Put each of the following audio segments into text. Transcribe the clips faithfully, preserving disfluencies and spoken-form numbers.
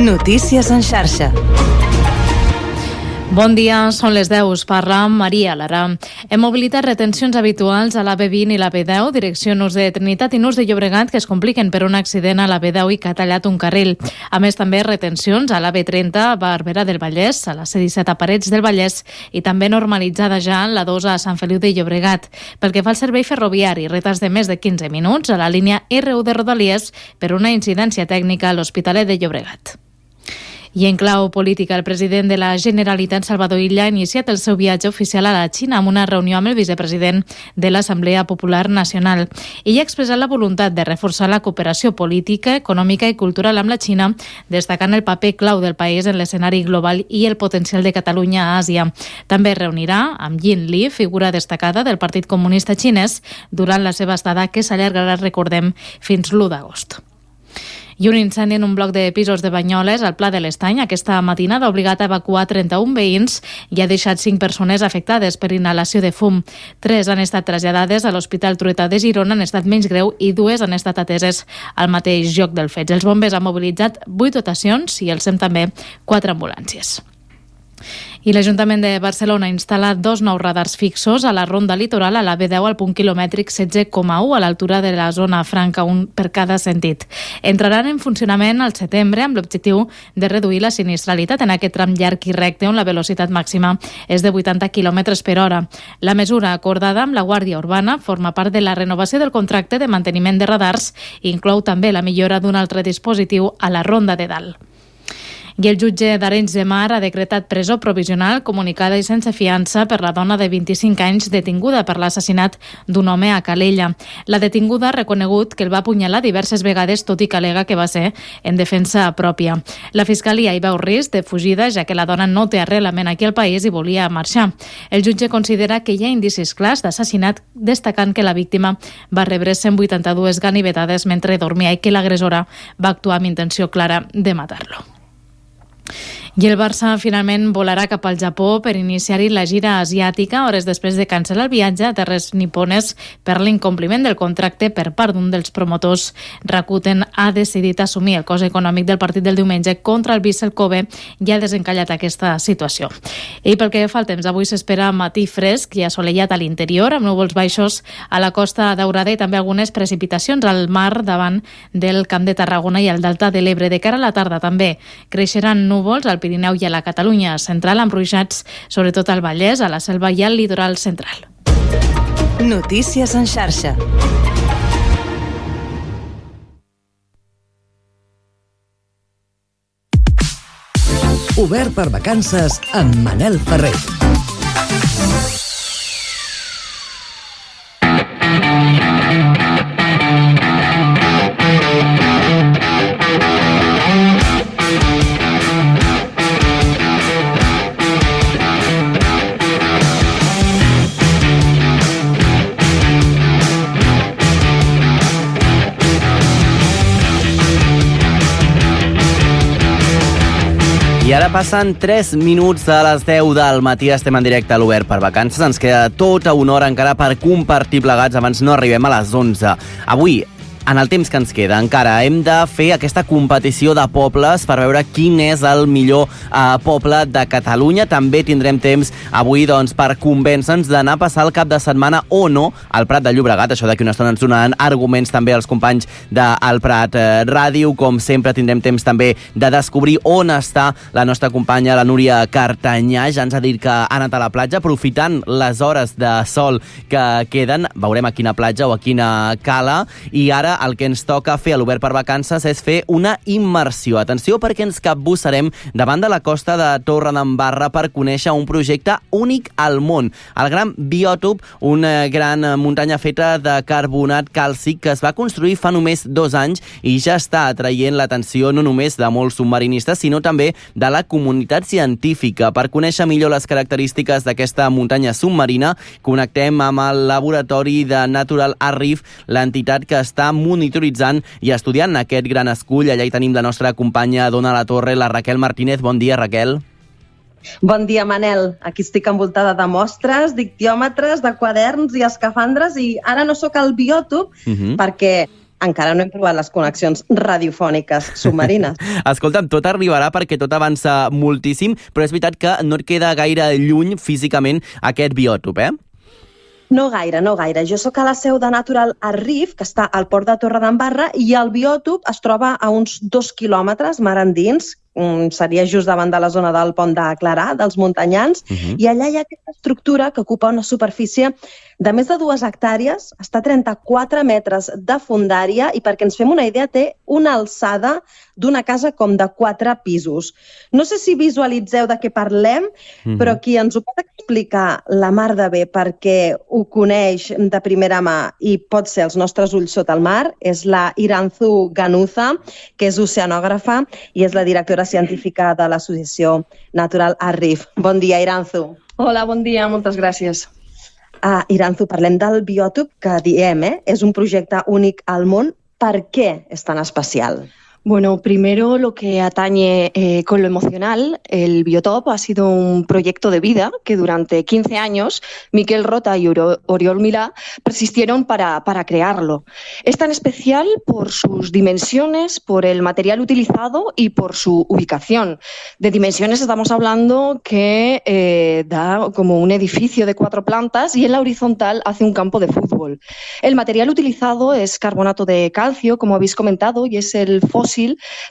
Notícies en xarxa. Bon dia, són les deu, us parla Maria Lara. Hem mobilitat retencions habituals a l'A B vint i l'A B deu, direcció Nus de Trinitat i Nus de Llobregat, que es compliquen per un accident a l'A B deu i que ha tallat un carril. A més, també retencions a l'A B trenta a Barberà del Vallès, a la C disset a Parets del Vallès i també normalitzada ja la dos a Sant Feliu de Llobregat. Pel que fa al servei ferroviari, retards de més de quinze minuts a la línia R u de Rodalies per una incidència tècnica a l'Hospitalet de Llobregat. I en clau política, el president de la Generalitat, Salvador Illa, ha iniciat el seu viatge oficial a la Xina amb una reunió amb el vicepresident de l'Assemblea Popular Nacional. Ell ha expressat la voluntat de reforçar la cooperació política, econòmica i cultural amb la Xina, destacant el paper clau del país en l'escenari global i el potencial de Catalunya a Àsia. També es reunirà amb Yin Li, figura destacada del Partit Comunista Xinès, durant la seva estada, que s'allargarà, recordem, fins l'u d'agost. I un incendi en un bloc de pisos de Banyoles, al Pla de l'Estany, aquesta matinada ha obligat a evacuar trenta-un veïns i ha deixat cinc persones afectades per inhalació de fum. Tres han estat traslladades a l'Hospital Trueta de Girona en estat menys greu i dues han estat ateses al mateix lloc del fet. Els bombers han mobilitzat vuit dotacions i el S E M també quatre ambulàncies. I l'Ajuntament de Barcelona ha instal·lat dos nous radars fixos a la ronda litoral a l'A B deu al punt quilomètric setze coma u a l'altura de la zona franca, un per cada sentit. Entraran en funcionament al setembre amb l'objectiu de reduir la sinistralitat en aquest tram llarg i recte on la velocitat màxima és de vuitanta quilòmetres per hora. La mesura acordada amb la Guàrdia Urbana forma part de la renovació del contracte de manteniment de radars i inclou també la millora d'un altre dispositiu a la ronda de dalt. I el jutge d'Arenys de Mar ha decretat presó provisional comunicada i sense fiança per la dona de vint-i-cinc anys detinguda per l'assassinat d'un home a Calella. La detinguda ha reconegut que el va apunyalar diverses vegades, tot i que alega que va ser en defensa pròpia. La Fiscalia hi veu risc de fugida, ja que la dona no té arrelament aquí al país i volia marxar. El jutge considera que hi ha indicis clars d'assassinat, destacant que la víctima va rebre cent vuitanta-dues ganivetades mentre dormia i que l'agressora va actuar amb intenció clara de matar-lo. I el Barça finalment volarà cap al Japó per iniciar-hi la gira asiàtica hores després de cancel·lar el viatge a terres nipones per l'incompliment del contracte per part d'un dels promotors. Rakuten ha decidit assumir el cost econòmic del partit del diumenge contra el Vissel Kobe i ha desencallat aquesta situació. I pel que fa al temps, avui s'espera matí fresc i assolellat a l'interior amb núvols baixos a la Costa Daurada i també algunes precipitacions al mar davant del Camp de Tarragona i al Delta de l'Ebre. De cara a la tarda també creixeran núvols al Pirineu i a la Catalunya central amb ruixats, sobretot al Vallès, a la Selva i al litoral central. Notícies en xarxa. Obert per vacances amb Manel Ferrer. I ara passen tres minuts de les deu del matí, estem en directe a l'Obert per vacances. Ens queda tota una hora encara per compartir plegats abans no arribem a les onze. Avui, en el temps que ens queda, encara hem de fer aquesta competició de pobles per veure quin és el millor eh, poble de Catalunya. També tindrem temps avui doncs, per convèncer-nos d'anar a passar el cap de setmana o no al Prat de Llobregat. Això d'aquí una estona ens donaran arguments també els companys del Prat eh, Ràdio. Com sempre tindrem temps també de descobrir on està la nostra companya, la Núria Cartanyà. Ja ens ha dit que ha anat a la platja, aprofitant les hores de sol que queden. Veurem a quina platja o a quina cala. I ara el que ens toca fer a l'Obert per vacances és fer una immersió. Atenció, perquè ens capbussarem davant de la costa de Torredembarra per conèixer un projecte únic al món. El Gran Biòtop, una gran muntanya feta de carbonat càlcic que es va construir fa només dos anys i ja està atraient l'atenció no només de molts submarinistes, sinó també de la comunitat científica. Per conèixer millor les característiques d'aquesta muntanya submarina, connectem amb el laboratori de Natural Reef, l'entitat que està monitoritzant i estudiant aquest gran escull. Allà hi tenim la nostra companya d'Ona la Torre, la Raquel Martínez. Bon dia, Raquel. Bon dia, Manel. Aquí estic envoltada de mostres, d'ictiòmetres, de quaderns i escafandres i ara no sóc al biòtop uh-huh. perquè encara no hem provat les connexions radiofòniques submarines. Escolta'm, tot arribarà perquè tot avança moltíssim, però és veritat que no et queda gaire lluny físicament aquest biòtop, eh? No gaire, no gaire. Jo sóc a la seu de Natural Arrif, que està al port de Torredembarra, i el biòtop es troba a uns dos quilòmetres mar endins, seria just davant de la zona del pont de Clarà, dels muntanyans, uh-huh. i allà hi ha aquesta estructura que ocupa una superfície de més de dues hectàrees, està a trenta-quatre metres de fondària i, perquè ens fem una idea, té una alçada d'una casa com de quatre pisos. No sé si visualitzeu de què parlem, uh-huh. però qui ens ho pot explicar la mar de bé perquè ho coneix de primera mà i pot ser els nostres ulls sota el mar és la Iranzu Ganuza, que és oceanògrafa i és la directora científica de l'associació Natural Arrif. Bon dia, Iranzu. Hola, bon dia, moltes gràcies. Uh, Iranzu, parlem del biòtop que diem, eh? És un projecte únic al món. Per què és tan especial? Bueno, primero lo que atañe eh, con lo emocional, el biotop ha sido un proyecto de vida que durante quince años Miquel Rota y Oriol Milà persistieron para, para crearlo. Es tan especial por sus dimensiones, por el material utilizado y por su ubicación. De dimensiones estamos hablando que eh, da como un edificio de cuatro plantas y en la horizontal hace un campo de fútbol. El material utilizado es carbonato de calcio, como habéis comentado, y es el fósil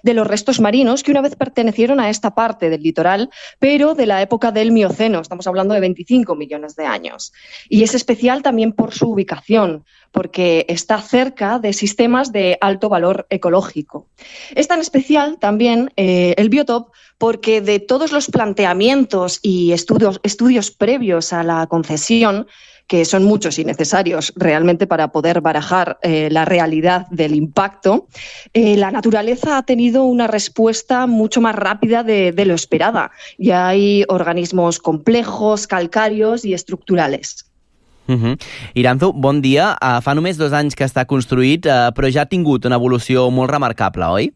de los restos marinos que una vez pertenecieron a esta parte del litoral, pero de la época del Mioceno, estamos hablando de veinticinco millones de años. Y es especial también por su ubicación, porque está cerca de sistemas de alto valor ecológico. Es tan especial también eh, el biotop porque de todos los planteamientos y estudios, estudios previos a la concesión, que son muchos y necesarios realmente para poder barajar eh, la realidad del impacto, eh, la naturaleza ha tenido una respuesta mucho más rápida de, de lo esperada. Ya hay organismos complejos, calcáreos y estructurales. Uh-huh. Iranzu, bon dia. Uh, fa només dos anys que està construït, uh, però ja ha tingut una evolució molt remarcable, oi?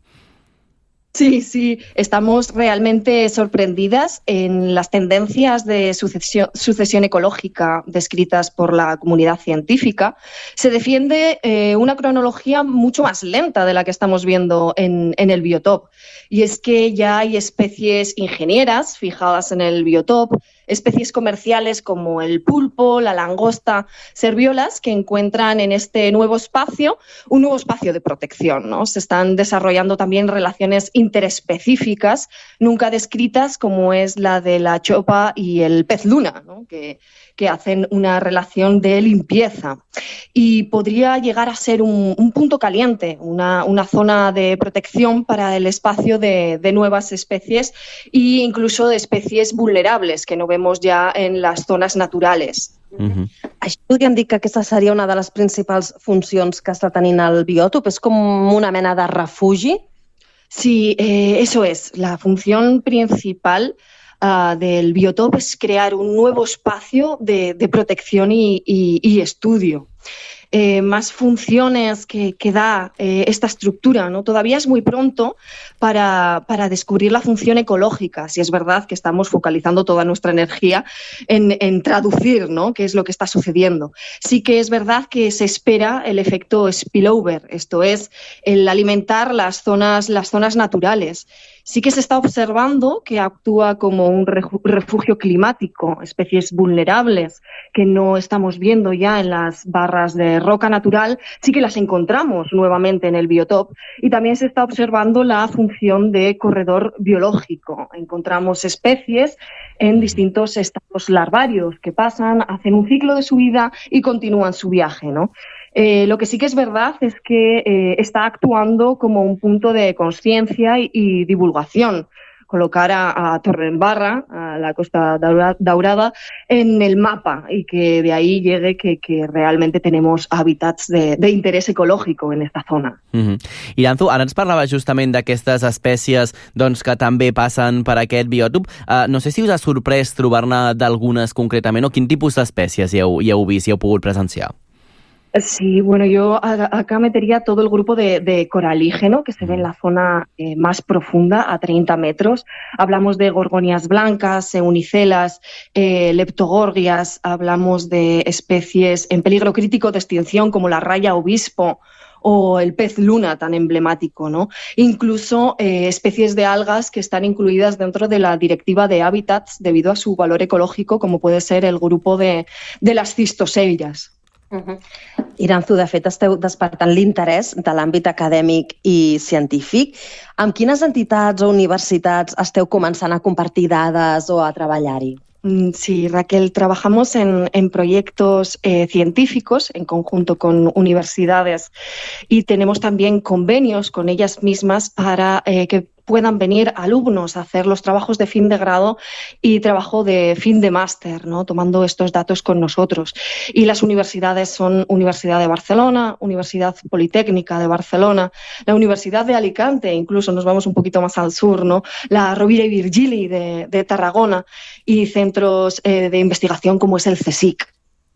Sí, sí, estamos realmente sorprendidas en las tendencias de sucesión, sucesión ecológica descritas por la comunidad científica. Se defiende eh, una cronología mucho más lenta de la que estamos viendo en, en el biotop. Y es que ya hay especies ingenieras fijadas en el biotop, especies comerciales como el pulpo, la langosta, serviolas, que encuentran en este nuevo espacio un nuevo espacio de protección, ¿no? Se están desarrollando también relaciones interespecíficas, nunca descritas, como es la de la chopa y el pez luna, ¿no? que, que hacen una relación de limpieza. Y podría llegar a ser un, un punto caliente, una, una zona de protección para el espacio de, de nuevas especies e incluso de especies vulnerables que no vemos ya en las zonas naturales. Uh-huh. Això podríem dir que aquesta seria una de les principals funcions que està tenint el biòtop? És com una mena de refugi? Sí, eh, eso es. La función principal uh, del biotop es crear un nuevo espacio de, de protección y, y, y estudio. Eh, más funciones que, que da eh, esta estructura, ¿no? Todavía es muy pronto para, para descubrir la función ecológica, si es verdad que estamos focalizando toda nuestra energía en, en traducir, ¿no? qué es lo que está sucediendo. Sí que es verdad que se espera el efecto spillover, esto es, el alimentar las zonas, las zonas naturales. Sí que se está observando que actúa como un refugio climático, especies vulnerables que no estamos viendo ya en las barras de roca natural, sí que las encontramos nuevamente en el biotop, y también se está observando la función de corredor biológico. Encontramos especies en distintos estados larvarios que pasan, hacen un ciclo de su vida y continúan su viaje, ¿no? Eh, lo que sí que es verdad es que eh, está actuando como un punto de conciencia y, y divulgación. Colocar a, a Torredembarra, a la Costa Daurada, en el mapa y que de ahí llegue que, que realmente tenemos hábitats de, de interés ecológico en esta zona. Mm-hmm. Iranzu, ara ens parlava justament d'aquestes espècies doncs, que també passen per aquest biòtop. Uh, no sé si us ha sorprès trobar-ne d'algunes concretament o quin tipus d'espècies hi heu, hi heu vist, hi heu pogut presenciar? Sí, bueno, yo acá metería todo el grupo de, de coralígeno que se ve en la zona eh, más profunda, a treinta metros. Hablamos de gorgonias blancas, eunicelas, eh, leptogorgias, hablamos de especies en peligro crítico de extinción como la raya obispo o el pez luna tan emblemático, ¿no? Incluso eh, especies de algas que están incluidas dentro de la Directiva de Hábitats debido a su valor ecológico, como puede ser el grupo de, de las cistosellas. Uh-huh. Iranzu, de fet, esteu despertant l'interès de l'àmbit acadèmic i científic. Amb quines entitats o universitats esteu començant a compartir dades o a treballar-hi? Sí, Raquel, trabajamos en, en proyectos eh, científicos en conjunto con universidades y tenemos también convenios con ellas mismas para eh, que puedan venir alumnos a hacer los trabajos de fin de grado y trabajo de fin de máster, ¿no? Tomando estos datos con nosotros. Y las universidades son Universidad de Barcelona, Universidad Politécnica de Barcelona, la Universidad de Alicante, incluso nos vamos un poquito más al sur, ¿no? La Rovira i Virgili de, de Tarragona y centros eh, de investigación como es el CSIC.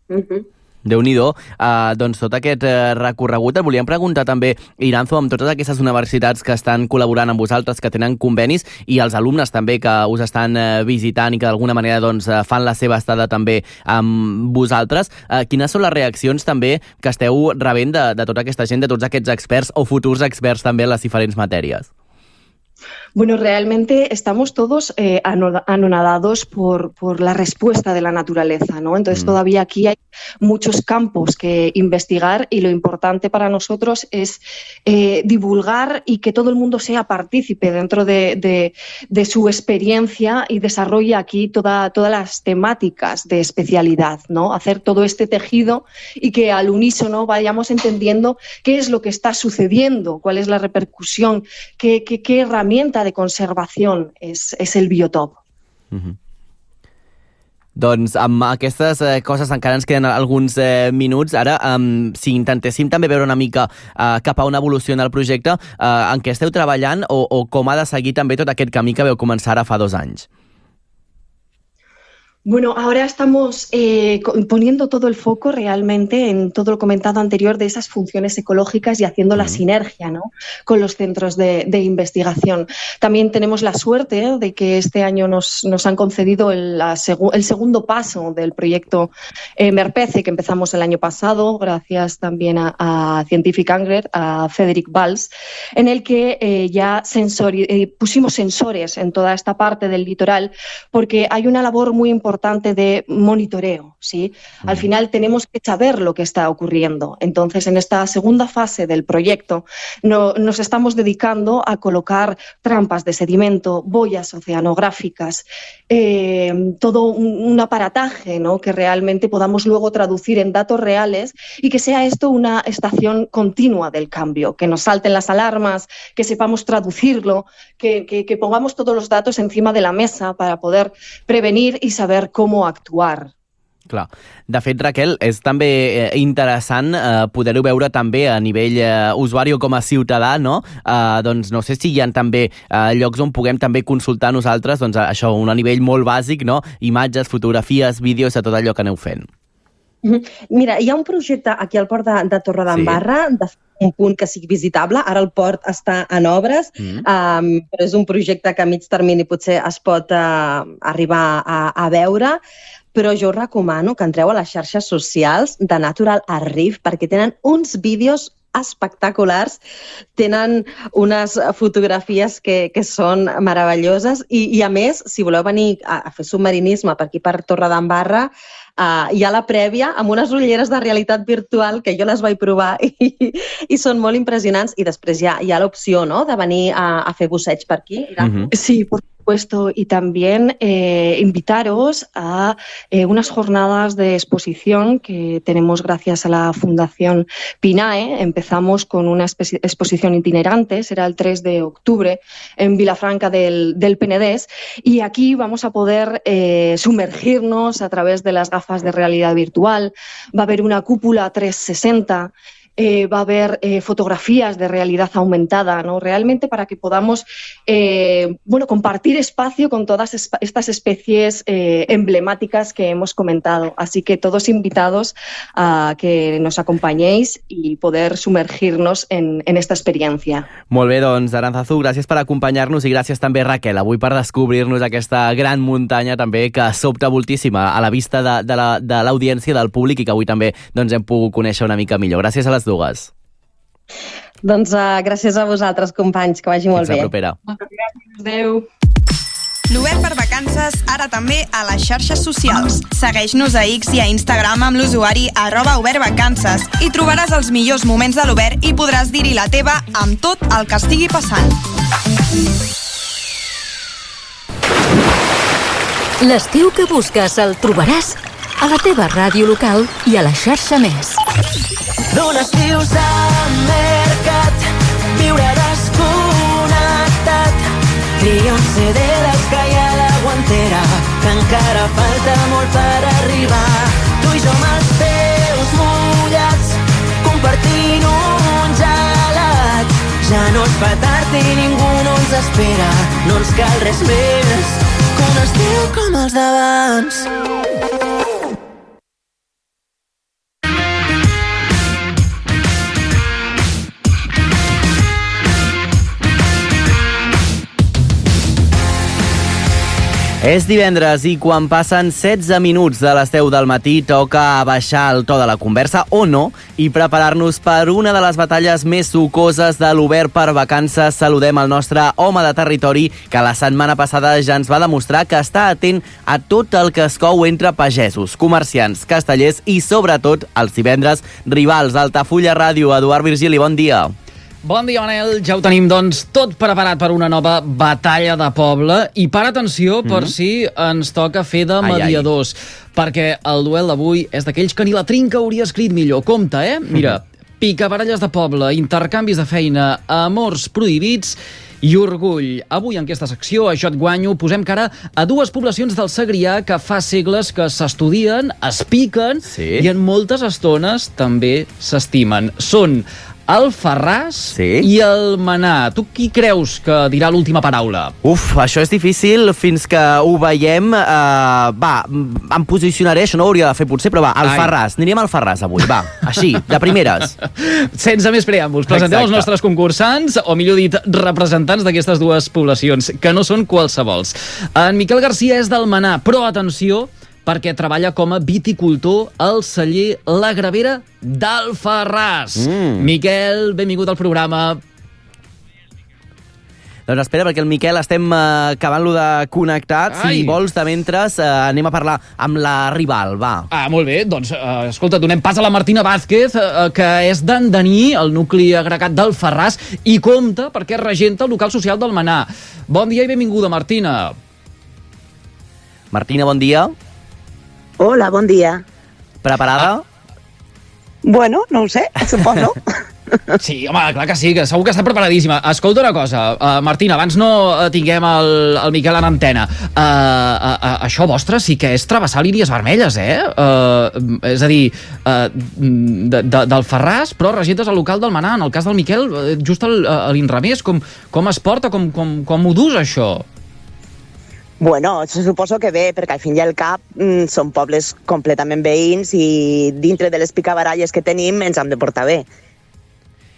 Uh-huh. Déu-n'hi-do. Uh, doncs tot aquest uh, recorregut et volíem preguntar també, Iranzu, amb totes aquestes universitats que estan col·laborant amb vosaltres, que tenen convenis, i els alumnes també que us estan uh, visitant i que d'alguna manera doncs, uh, fan la seva estada també amb vosaltres, uh, quines són les reaccions també que esteu rebent de, de tota aquesta gent, de tots aquests experts o futurs experts també en les diferents matèries? Bueno, realmente estamos todos eh, anonadados por, por la respuesta de la naturaleza, ¿no? Entonces, mm. todavía aquí hay muchos campos que investigar y lo importante para nosotros es eh, divulgar y que todo el mundo sea partícipe dentro de, de, de su experiencia y desarrolle aquí toda, todas las temáticas de especialidad, ¿no? Hacer todo este tejido y que al unísono vayamos entendiendo qué es lo que está sucediendo, cuál es la repercusión, qué, qué, qué herramienta de conservació és, és el biotop. Mm-hmm. Doncs amb aquestes eh, coses encara ens queden alguns eh, minuts. Ara, um, si intentéssim també veure una mica uh, cap a on evoluciona el projecte, uh, en què esteu treballant o, o com ha de seguir també tot aquest camí que veu començar ara fa dos anys? Bueno, ahora estamos eh, poniendo todo el foco realmente en todo lo comentado anterior de esas funciones ecológicas y haciendo la sinergia, ¿no?, con los centros de, de investigación. También tenemos la suerte ¿eh? de que este año nos, nos han concedido el, la segu el segundo paso del proyecto eh, MERPECE, que empezamos el año pasado, gracias también a, a Scientific Angler, a Frederick Valls, en el que eh, ya sensori eh, pusimos sensores en toda esta parte del litoral, porque hay una labor muy importante de monitoreo, ¿sí? Al final tenemos que saber lo que está ocurriendo. Entonces, en esta segunda fase del proyecto no, nos estamos dedicando a colocar trampas de sedimento, boyas oceanográficas, eh, todo un, un aparataje, ¿no?, que realmente podamos luego traducir en datos reales y que sea esto una estación continua del cambio, que nos salten las alarmas, que sepamos traducirlo, que, que, que pongamos todos los datos encima de la mesa para poder prevenir y saber com actuar. Clar. De fet, Raquel, és també eh, interessant eh, poder-ho veure també a nivell eh, usuari o com a ciutadà, no? Eh, doncs no sé si hi ha també eh, llocs on puguem també consultar nosaltres, doncs això, un a nivell molt bàsic, no? Imatges, fotografies, vídeos, de tot allò que aneu fent. Mira, hi ha un projecte aquí al port de, de Torredembarra, sí, de un punt que sigui visitable. Ara el port està en obres, mm. um, però és un projecte que a mig termini potser es pot uh, arribar a, a veure, però jo us recomano que entreu a les xarxes socials de Natural Reef perquè tenen uns vídeos espectaculars, tenen unes fotografies que, que són meravelloses i, i a més, si voleu venir a, a fer submarinisme per aquí per Torredembarra, uh, hi ha la prèvia amb unes ulleres de realitat virtual que jo les vaig provar i, i són molt impressionants, i després hi ha, hi ha l'opció, no?, de venir a, a fer busseig per aquí. Mm-hmm. Sí, por supuesto, y también eh, invitaros a eh, unas jornadas de exposición que tenemos gracias a la Fundación PINAE. Empezamos con una exposición itinerante, será el tres de octubre en Vilafranca del, del Penedés, y aquí vamos a poder eh, sumergirnos a través de las gafas de realidad virtual. Va a haber una cúpula trescientos sesenta. Eh, va a haber eh, fotografías de realidad aumentada, ¿no?, realmente para que podamos eh, bueno, compartir espacio con todas es estas especies eh, emblemáticas que hemos comentado. Así que todos invitados a que nos acompañéis y poder sumergirnos en, en esta experiencia. Molt bé, doncs, Arantzazu, gràcies per acompanyar-nos i gràcies també, Raquel, avui per descobrir-nos aquesta gran muntanya també que sobta moltíssima a la vista de, de l'audiència, la, de del públic, i que avui també doncs, hem pogut conèixer una mica millor. Gràcies a les dues. Doncs uh, gràcies a vosaltres, companys, que vagi molt Fins bé. la propera. Moltes gràcies, adeu. L'Obert per Vacances, ara també a les xarxes socials. Segueix-nos a X i a Instagram amb l'usuari arroba obertvacances i trobaràs els millors moments de l'Obert i podràs dir-hi la teva amb tot el que estigui passant. L'estiu que busques el trobaràs a la teva ràdio local i a la xarxa Més. D'un estiu s'ha mercat, viure desconnectat. Tria un C D dels que hi ha a la guantera, que encara falta molt per arribar. Tu i jo amb els peus mullats, compartint un gelat. Ja no es fa tard i ningú no ens espera, no ens cal res més que un estiu com els d'abans. És divendres i quan passen setze minuts de les deu del matí toca baixar el to de la conversa, o no, i preparar-nos per una de les batalles més sucoses de l'Obert per Vacances. Saludem el nostre home de territori, que la setmana passada ja ens va demostrar que està atent a tot el que es cou entre pagesos, comerciants, castellers i, sobretot, els divendres, rivals. Altafulla Ràdio, Eduard Virgili, bon dia. Bon dia, Manel. Ja ho tenim, doncs, tot preparat per una nova batalla de poble. I para atenció, per mm -hmm. si ens toca fer de mediadors. Ai, ai. Perquè el duel d'avui és d'aquells que ni la trinca hauria escrit millor. Compte, eh? Mira, mm -hmm. picabaralles de poble, intercanvis de feina, amors prohibits i orgull. Avui, en aquesta secció, a Jo et guanyo, posem cara a dues poblacions del Segrià que fa segles que s'estudien, es piquen, sí, i en moltes estones també s'estimen. Són Alfarràs, sí, i Almenar. Tu qui creus que dirà l'última paraula? Uf, això és difícil fins que ho veiem. Uh, va, em posicionaré, això no ho hauria de fer potser, però va, Alfarràs. Anirem al Alfarràs avui, va, així, de primeres. Sense més preàmbuls, presentem els nostres concursants, o millor dit, representants d'aquestes dues poblacions, que no són qualsevols. En Miquel Garcia és d'Almenar, però atenció, perquè treballa com a viticultor al celler La Gravera d'Alfarràs. Mm. Miquel, benvingut al programa. Doncs espera, perquè el Miquel estem uh, acabant-lo de connectar. Ai. Si vols, de mentres, uh, anem a parlar amb la rival, va. Ah, molt bé. Doncs, uh, escolta, donem pas a la Martina Vázquez, uh, que és d'Andaní, el nucli agregat d'Alfarràs, i compta perquè regenta el local social d'Almenar. Bon dia i benvinguda, Martina. Martina, bon dia. Hola, bon dia. Preparada? Ah. Bueno, no ho sé, suposo. Sí, home, clar que sí, que segur que està preparadíssima. Escolta una cosa, uh, Martina, abans no tinguem el, el Miquel en antena. Uh, uh, uh, això vostre sí que és travessar línies vermelles, eh? Uh, és a dir, uh, de, de, d'Alfarràs, però regentes al local d'Almenar. En el cas del Miquel, just a l'inrevés. Com, com es porta, com, com, com ho dus, això? Bueno, suposo que bé, perquè al fin i al cap mm, són pobles completament veïns i dintre de les picabaralles que tenim ens hem de portar bé.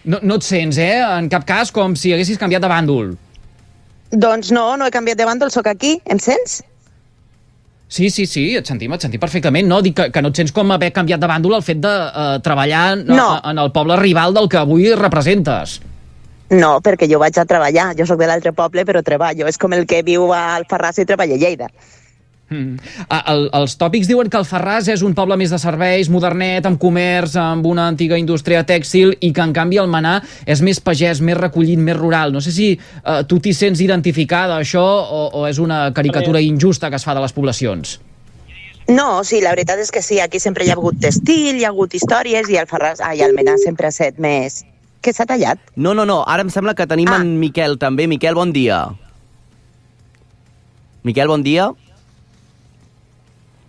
No, no et sents, eh? En cap cas com si haguessis canviat de bàndol. Doncs no, no he canviat de bàndol, sóc aquí. Em sents? Sí, sí, sí, et sentim, et sentim perfectament. No, dic que, que no et sents com haver canviat de bàndol el fet de uh, treballar no. en el poble rival del que avui representes. No, perquè jo vaig a treballar. Jo sóc de l'altre poble, però treballo. És com el que viu a Alfarràs i treballa a Lleida. Mm. Ah, el, els tòpics diuen que Alfarràs és un poble més de serveis, modernet, amb comerç, amb una antiga indústria tèxtil, i que en canvi Almenar és més pagès, més recollit, més rural. No sé si uh, tu t'hi sents identificada, això, o, o és una caricatura injusta que es fa de les poblacions? No, sí, la veritat és que sí. Aquí sempre hi ha hagut estil, hi ha hagut històries, i Alfarràs, ai, Almenar sempre ha set més... Que s'ha tallat? No, no, no. Ara em sembla que tenim ah. en Miquel també. Miquel, bon dia. Miquel, bon dia.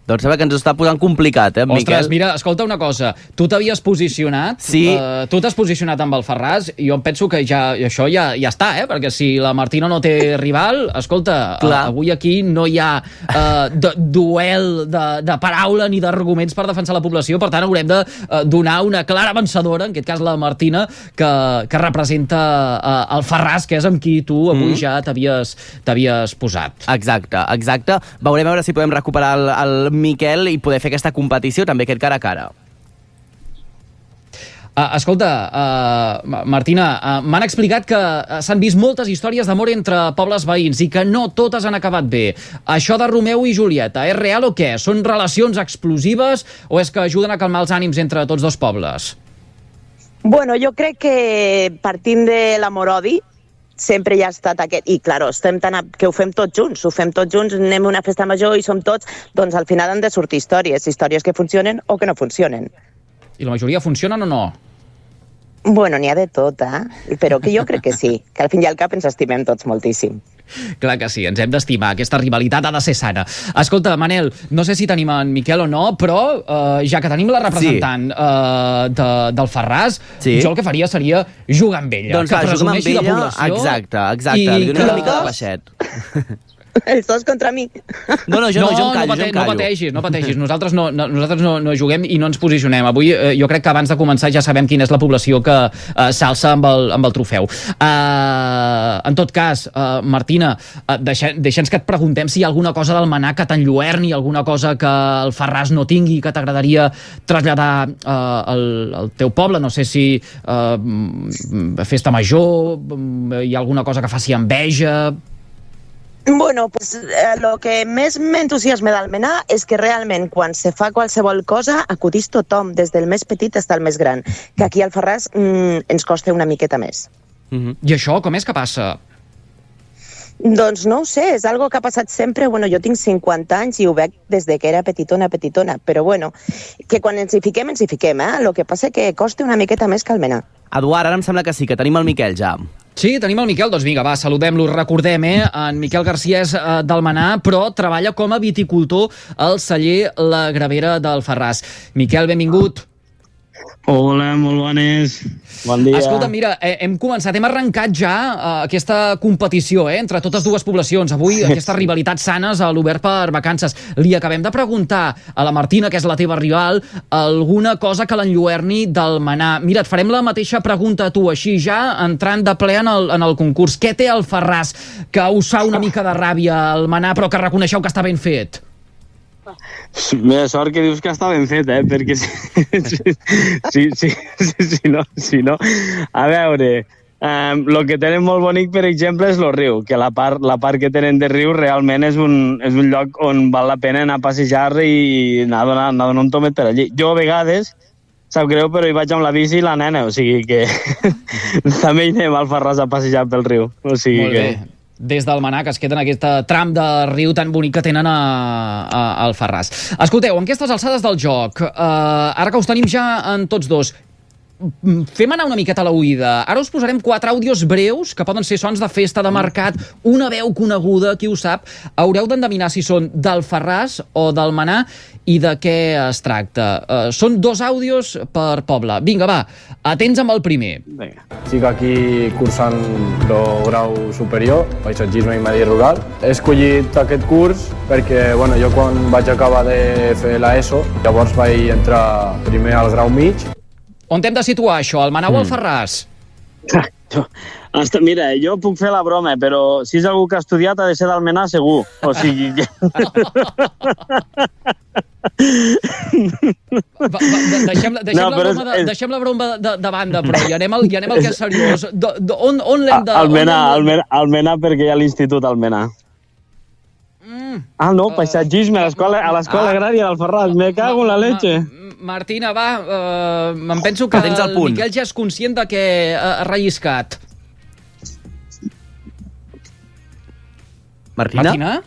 Doncs sembla que ens ho està posant complicat, eh, Ostres, Miquel? Mira, escolta una cosa. Tu t'havies posicionat, sí. uh, tu t'has posicionat amb Alfarràs, i jo em penso que ja, això ja, ja està, eh? Perquè si la Martina no té rival, escolta, uh, avui aquí no hi ha uh, de, duel de, de paraula ni d'arguments per defensar la població, per tant haurem de uh, donar una clara vencedora, en aquest cas la Martina, que, que representa uh, Alfarràs, que és amb qui tu avui mm. ja t'havies t'havies posat. Exacte, exacte. Veurem a veure si podem recuperar el, el Miquel i poder fer aquesta competició, també aquest cara a cara. Uh, escolta, uh, Martina, uh, m'han explicat que uh, s'han vist moltes històries d'amor entre pobles veïns i que no totes han acabat bé. Això de Romeu i Julieta, és real o què? Són relacions explosives o és que ajuden a calmar els ànims entre tots dos pobles? Bueno, jo crec que partint de l'amor-odi, sempre hi ha estat aquest, i clar, estem tan a, que ho fem tots junts, ho fem tots junts, anem a una festa major i som tots, doncs al final han de sortir històries, històries que funcionen o que no funcionen. I la majoria funcionen o no? Bueno, n'hi ha de tot, eh? Però que jo crec que sí, que al fin i al cap ens estimem tots moltíssim. Clar que sí, ens hem d'estimar, aquesta rivalitat ha de ser sana. Escolta, Manel, no sé si tenim en Miquel o no, però eh, ja que tenim la representant sí. eh, de, del Ferraz, sí. jo el que faria seria jugar amb ella, doncs que va, presumeixi amb ella, la població. Exacte, exacte, li dono una mica de baixet. Els dos contra mi. No, no, jo no, no, jo em callo, no, pate, jo em callo. No pateixis, no pateixis. Nosaltres, no, no, nosaltres no, no juguem i no ens posicionem. Avui eh, jo crec que abans de començar ja sabem quina és la població que eh, s'alça amb, el, amb el trofeu. Uh, en tot cas, uh, Martina, uh, deixa, deixa'ns que et preguntem si hi ha alguna cosa del Manà que t'enlluerni, alguna cosa que el Ferraz no tingui, que t'agradaria traslladar uh, al, al teu poble. No sé si uh, festa major, hi ha alguna cosa que faci enveja... Bueno, pues eh, lo que més m'entusiasma d'Almenar és que realment quan se fa qualsevol cosa acudís tothom, des del més petit fins al més gran, que aquí al Ferraz mm, ens costa una miqueta més. Mm-hmm. I això com és que passa? Doncs no ho sé, és algo que ha passat sempre. Bueno, jo tinc cinquanta anys i ho veig des de que era petitona, petitona, però bueno, que quan ens hi fiquem, ens hi fiquem, eh? Lo que passa que costa una miqueta més que Almenar. Eduard, ara em sembla que sí, que tenim el Miquel ja. Sí, tenim el Miquel, doncs vinga, va, saludem-lo, recordem, eh? En Miquel Garcia és eh, del Manà, però treballa com a viticultor al celler La Gravera del Ferraz. Miquel, benvingut. Hola, molt bones. Bon dia. Escolta, mira, eh, hem començat, hem arrencat ja eh, aquesta competició eh, entre totes dues poblacions. Avui, aquestes rivalitats sanes a l'Obert per Vacances. Li acabem de preguntar a la Martina, que és la teva rival, alguna cosa que l'enlluerni del Manà. Mira, et farem la mateixa pregunta a tu, així ja entrant de ple en el, en el concurs. Què té el Ferraz que us fa una mica de ràbia al Manà, però que reconeixeu que està ben fet? Mira, sort que dius que està ben fet, eh? Perquè si, si, si, si, si, si, no, si no... A veure, el um, que tenen molt bonic, per exemple, és el riu, que la part, la part que tenen de riu realment és un, és un lloc on val la pena anar a passejar i anar a donar, anar a donar un tomet per allí. Jo, a vegades, sap greu, però hi vaig amb la bici i la nena, o sigui que també hi anem al Ferraz a passejar pel riu. O sigui molt bé. Que... Des del Manà, que es queda en aquest tram de riu tan bonic que tenen a, a, al Ferraz. Escolteu, en aquestes alçades del joc, eh, ara que us tenim ja en tots dos, fem anar una miqueta a la oïda. Ara us posarem quatre àudios breus, que poden ser sons de festa, de mercat, una veu coneguda, qui ho sap. Haureu d'endevinar si són del Ferraz o del Manà i de què es tracta. Uh, són dos àudios per poble. Vinga, va, atents amb el primer. Vinga. Estic aquí cursant el grau superior, paisatgisme i medi rural. He escollit aquest curs perquè bueno, jo quan vaig acabar de fer l'ESO, llavors vaig entrar primer al grau mig. On t'hem de situar, això? Al Manà o al Ferraz? Hasta, mira, jo puc fer la broma, però si és algú que ha estudiat ha de ser d'Almenar segur. O sigui que... va, va, deixem, deixem, no, la broma de, és... deixem la broma de, de banda, però ja anem al, ja anem al que és seriós. Do, do, on on l'hem de... Almenar, Almenar, Almenar, perquè hi ha l'institut Almenar. Mm. Ah, no, paisatgisme, a l'escola ah. agrària del Ferraz. Me cago en la leche. Martina, va, uh, em penso que el Miquel ja és conscient de que ha relliscat. Martina? Martina?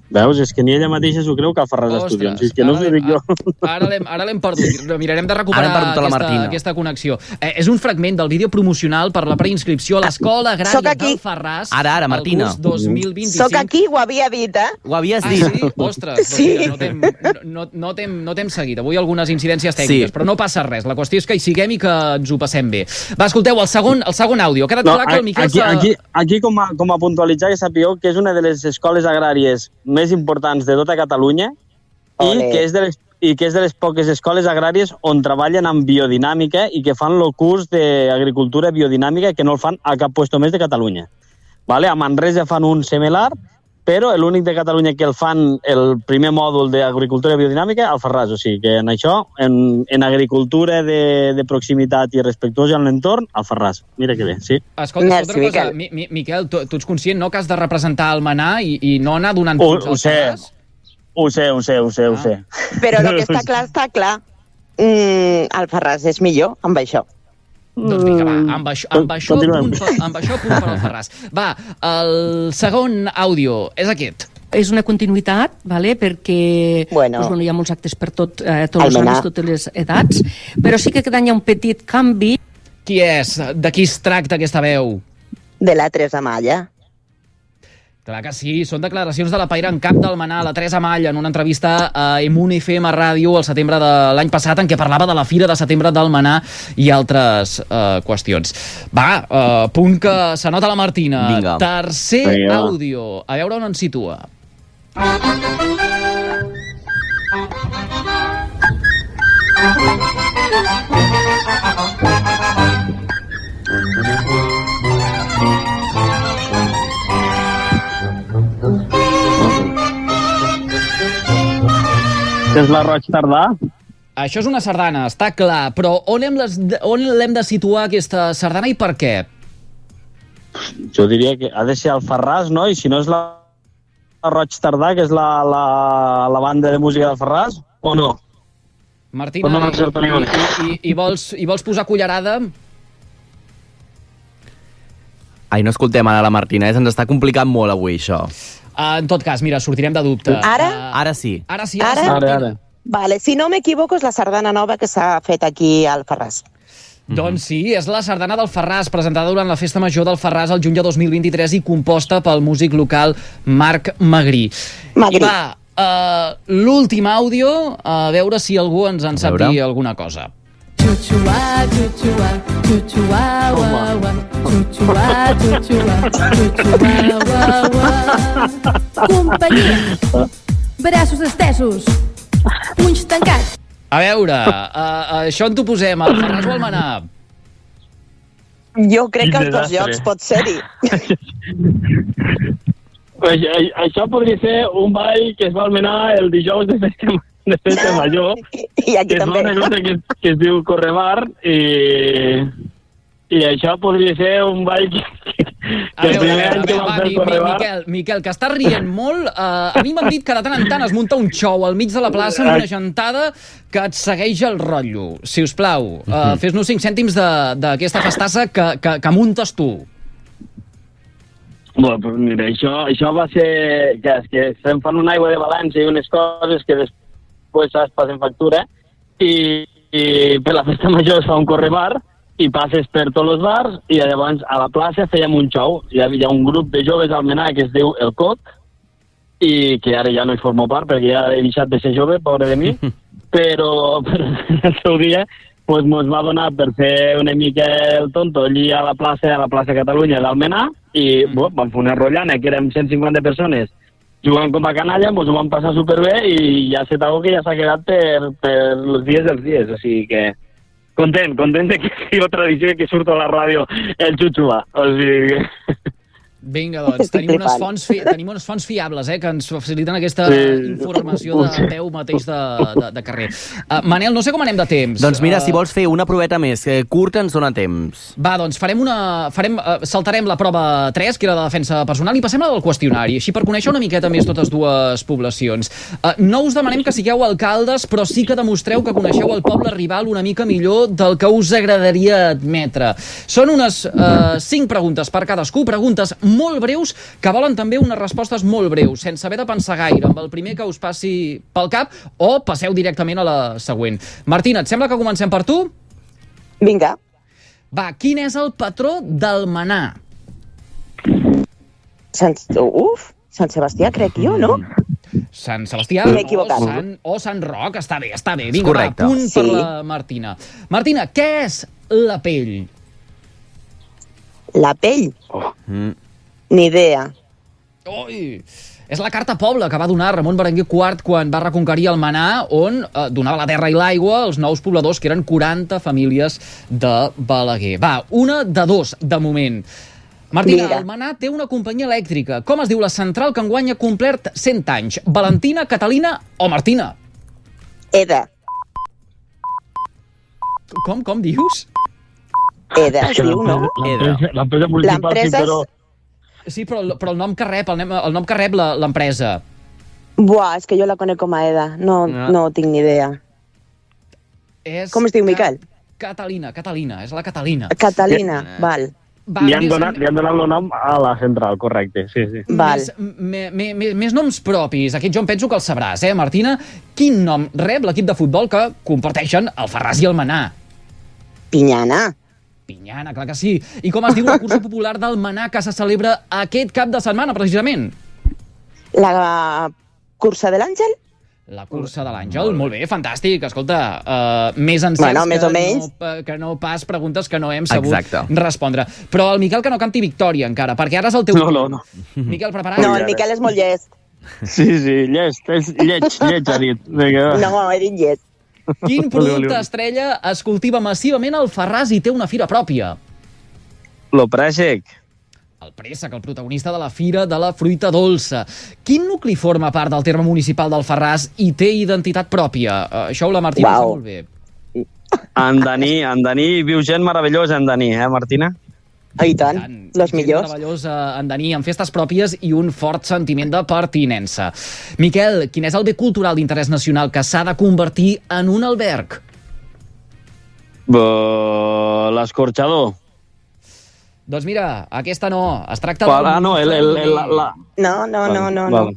Veus? És que ni ella mateixa s'ho creu que el Ferraz estudia. És que no us ho dic jo. Ara l'hem perdut. Mirarem de recuperar aquesta, aquesta connexió. Eh, és un fragment del vídeo promocional per la preinscripció a l'Escola Agrària del Ferraz. Ara, ara, Martina. El curs dos mil vint-i-cinc. Soc aquí, ho havia dit, eh? Ho havies ah, dit. Sí? Ostres, sí. Doncs no, no, no t'hem seguit. Avui algunes incidències tècniques, sí. Però no passa res. La qüestió és que hi siguem i que ens ho passem bé. Va, escolteu, el segon, el segon àudio. Ha quedat no, clar que el Miquel... Aquí, aquí, aquí com, a, com a puntualitzar, que sapigueu que és una de les escoles agràries més importants de tota Catalunya i que, és de les, i que és de les poques escoles agràries on treballen amb biodinàmica i que fan el curs d'agricultura biodinàmica que no el fan a cap puesto més de Catalunya. Vale? A Manresa fan un similar però l'únic de Catalunya que el fan el primer mòdul d'agricultura biodinàmica, Alfarràs. O sigui que en això, en, en agricultura de, de proximitat i respectuosa amb l'entorn, Alfarràs. Mira que bé, sí. Escolta, Merci, escolta una cosa, Miquel, Mi, Miquel tu, tu ets conscient, no?, que has de representar el Manà i, i no anar donant punts al Alfarràs? Ho sé, ho sé, ho sé, ho sé. Però el que està clar, està clar. Mm, Alfarràs és millor amb això. Doncs vinga, va, amb això, amb això, punt, per, amb això punt per Alfarràs. Va, el segon àudio és aquest. És una continuïtat, vale? Perquè bueno. Doncs, bueno, hi ha molts actes per tot, eh, tots els anys, totes les edats, però sí que cada any hi ha un petit canvi. Qui és? De qui es tracta aquesta veu? De la Teresa Malla. Clar que sí, són declaracions de la Paira en cap del Manà, la Teresa Malla, en una entrevista a Emun F M Ràdio al setembre de l'any passat, en què parlava de la Fira de Setembre del Manà i altres uh, qüestions. Va, uh, punt que s'anota la Martina. Vinga. Tercer Vinga. àudio. A veure on ens situa. És la Roig Tardà? Això és una sardana, està clar, però on l'hem on l'hem de situar, aquesta sardana, i per què? Jo diria que ha de ser Alfarràs, no? I si no és la, la Roig Tardà, que és la, la, la banda de música d'Alfarràs, o no? Martina, no i, i, i, i, vols, i vols posar cullerada? Ai, no escoltem ara la Martina, eh? Ens està complicant molt avui, això. Uh, en tot cas, mira, sortirem de dubte. Ara? Uh, Ara sí. Ara sí, ara, Ara? sí, Ara, Martina. ara. Vale, si no m'equivoco és la sardana nova que s'ha fet aquí al Alfarràs. Mm-hmm. Doncs sí, és la sardana del Farràs, presentada durant la Festa Major del Farràs el juny de dos mil vint-i-tres i composta pel músic local Marc Magrí. Magrí. I va, uh, l'últim àudio, a veure si algú ens en sap dir alguna cosa. Chuchua, chuchua, chuchua, wa, wa. Chuchua, chuchua, chuchua, wa, wa. Companyia. Braços estesos. Punys tancats. A veure, uh, això on t'ho posem, al Farràs o al Manà? Jo crec que els dos llocs pot ser-hi. Això podria ser un ball que es va almenar el dijous de festa, de festa major. I aquí que també. És una cosa que, que es diu Correbar i, i això podria ser un ball que, que, A que veure, el a primer any veure, que va, vam va, fer mi, el mi, Correbar... Miquel, Miquel, que estàs rient molt. Uh, a mi m'han dit que de tant en tant es munta un xou al mig de la plaça amb una gentada que et segueix el rotllo. Si us plau, uh, fes-nos cinc cèntims d'aquesta festassa que, que, que muntes tu. Bueno, pues mira, això, això va ser que, és que se'n fan una aigua de València i unes coses que després es passen factura i, i per la festa major es fa un correbar i passes per tots els bars i llavors a la plaça fèiem un xou. Hi havia un grup de joves al Menà que es diu El Cot i que ara ja no hi formo part perquè ja he deixat de ser jove, pobre de mi, però, però el seu dia pues, mos va donar per fer una mica el tonto allí a la plaça, a la plaça Catalunya d'Almenar i mm. bo, vam fer una rotllana que érem cent cinquanta persones jugant com a canalla, mos ho vam passar superbé i ja sé algo que ja s'ha quedat per, per els dies dels dies, o sigui que content, content de que sigui la tradició que surt a la ràdio el xuxuà, o sigui que... Vinga, doncs, tenim unes, fonts fi... tenim unes fonts fiables eh, que ens faciliten aquesta sí. informació de peu mateix de, de, de carrer. Uh, Manel, no sé com anem de temps. Doncs mira, uh... si vols fer una proveta més, que curta ens dona temps. Va, doncs farem una... Farem, uh, saltarem la prova tres, que era de defensa personal, i passem a la del qüestionari, així per conèixer una miqueta més totes dues poblacions. Uh, no us demanem que sigueu alcaldes, però sí que demostreu que coneixeu el poble rival una mica millor del que us agradaria admetre. Són unes uh, cinc preguntes per cadascú, preguntes molt breus, que volen també unes respostes molt breus, sense haver de pensar gaire, amb el primer que us passi pel cap, o passeu directament a la següent. Martina, et sembla que comencem per tu? Vinga. Va, quin és el patró del Manà? Sant... Uf, Sant Sebastià, crec jo, no? Sant Sebastià o Sant, o Sant Roc, està bé, està bé. Vinga, va, punt sí. per la Martina. Martina, què és la pell? La pell? Oh. Mm. Ni idea. Ui, és la carta poble que va donar Ramon Berenguer quart quan va reconquerir el Manà, on eh, donava la terra i l'aigua als nous pobladors, que eren quaranta famílies de Balaguer. Va, una de dos, de moment. Martina, Vinga. Almenar té una companyia elèctrica. Com es diu la central que enguany ha complert cent anys? Valentina, Catalina o Martina? Eda. Com, com dius? Eda, es diu, no? L'empresa municipal, sí, L'empresa és- però... Sí, però, però el nom que rep, el, nem- el nom que rep la- l'empresa. Buah, és que jo la conec com a Eda. No, No. no tinc ni idea. És Com es diu, Miquel? Catalina, Catalina, és la Catalina. Catalina, val. Va, li, han més- donat, li han donat el nom a la central, correcte, sí, sí. Més, me, me, me, més noms propis. Aquest jo em penso que el sabràs, eh, Martina? Quin nom rep l'equip de futbol que comparteixen el Farràs i el Manà? Pinyana. Pinyana, clar que sí. I com es diu la cursa popular del Manà que se celebra aquest cap de setmana, precisament? La cursa de l'Àngel? La cursa de l'Àngel, molt bé, fantàstic. Escolta, uh, més encerts Bueno, més que, o menys. no, que no pas preguntes que no hem sabut Exacte. respondre. Però el Miquel que no canti victòria encara, perquè ara és el teu... No, no, no. Miquel, preparat? No, el Miquel és molt llest. Sí, sí, llest, és lleig, lleig, ha dit. Vinga, va. No, he dit llest. Quin producte estrella es cultiva massivament al Farràs i té una fira pròpia? Lo préssec. El préssec, el protagonista de la Fira de la Fruita Dolça. Quin nucli forma part del terme municipal del Farràs i té identitat pròpia? Uh, això la Martina Uau. sap molt bé. Andaní, Andaní, viu gent meravellosa, Andaní, eh, Martina? I tant, los millors. Meravellós a Andaní, amb festes pròpies i un fort sentiment de pertinença. Miquel, quin és el bé cultural d'interès nacional que s'ha de convertir en un alberg? Uh, L'escorxador. Doncs mira, aquesta no. Es tracta Qual? d'un... Ah, no, el, el, el, la, la... No, no, no, no, no. Vale.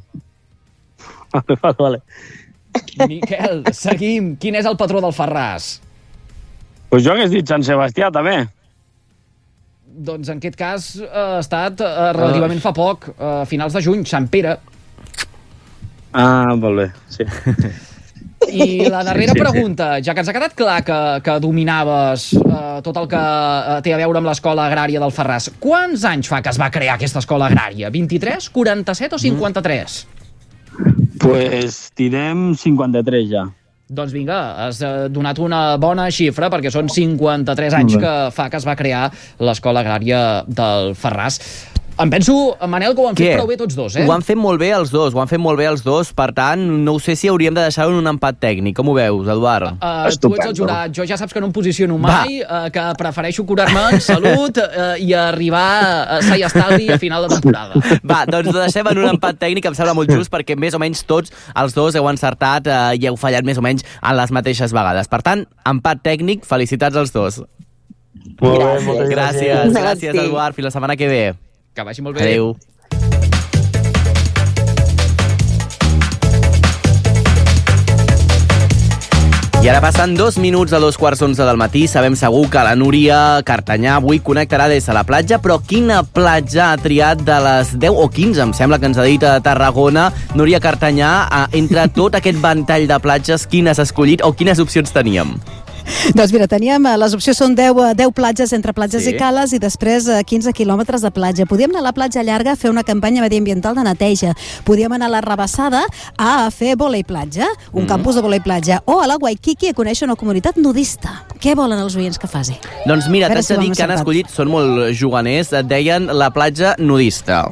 Vale, vale. Miquel, seguim. Quin és el patró del Farràs? Pues jo hagués dit Sant Sebastià, també. Doncs en aquest cas eh, ha estat eh, relativament fa poc, a eh, finals de juny, Sant Pere. Ah, molt bé, sí. I la darrera Sí, sí, sí. pregunta, ja que ens ha quedat clar que, que dominaves eh, tot el que eh, té a veure amb l'escola agrària del Farràs, quants anys fa que es va crear aquesta escola agrària? vint-i-tres, quaranta-set o cinquanta-tres? Pues tirem cinquanta-tres ja. Doncs vinga, has eh, donat una bona xifra, perquè són cinquanta-tres anys Molt bé. que fa que es va crear l'escola agrària del Farràs. Em penso, Manel, que ho han Què? fet prou bé tots dos, eh? Ho han fet molt bé els dos, ho han fet molt bé els dos, per tant, no ho sé si hauríem de deixar-ho en un empat tècnic. Com ho veus, Eduard? Uh, tu ets el jurat, jo ja saps que no em posiciono mai, uh, que prefereixo curar-me en salut uh, i arribar a sa i estalvi a final de temporada. Va, doncs ho deixem en un empat tècnic, em sembla molt just, perquè més o menys tots els dos heu encertat eh, i heu fallat més o menys en les mateixes vegades. Per tant, empat tècnic, felicitats als dos. Molt bé, moltes Gràcies, gràcies. gràcies, Eduard. Fins la setmana que ve. Que vagi molt bé. Adéu. I ara passen dos minuts a dos quarts d'onze del matí. Sabem segur que la Núria Cartanyà avui connectarà des de la platja, però quina platja ha triat de les deu o quinze, em sembla que ens ha dit a Tarragona, Núria Cartanyà, entre tot aquest ventall de platges, quines has escollit o quines opcions teníem? Doncs mira, teníem, eh, les opcions són deu, eh, deu platges entre platges Sí. i cales i després eh, quinze quilòmetres de platja. Podíem anar a la platja llarga a fer una campanya mediambiental de neteja. Podíem anar a la Rabassada a fer volei platja, un Mm. campus de volei platja, o a la Waikiki a conèixer una comunitat nudista. Què volen els oients que faci? Doncs mira, A veure t'haig si de ho dir hem que han encertat. escollit, són molt juganers, et deien la platja nudista.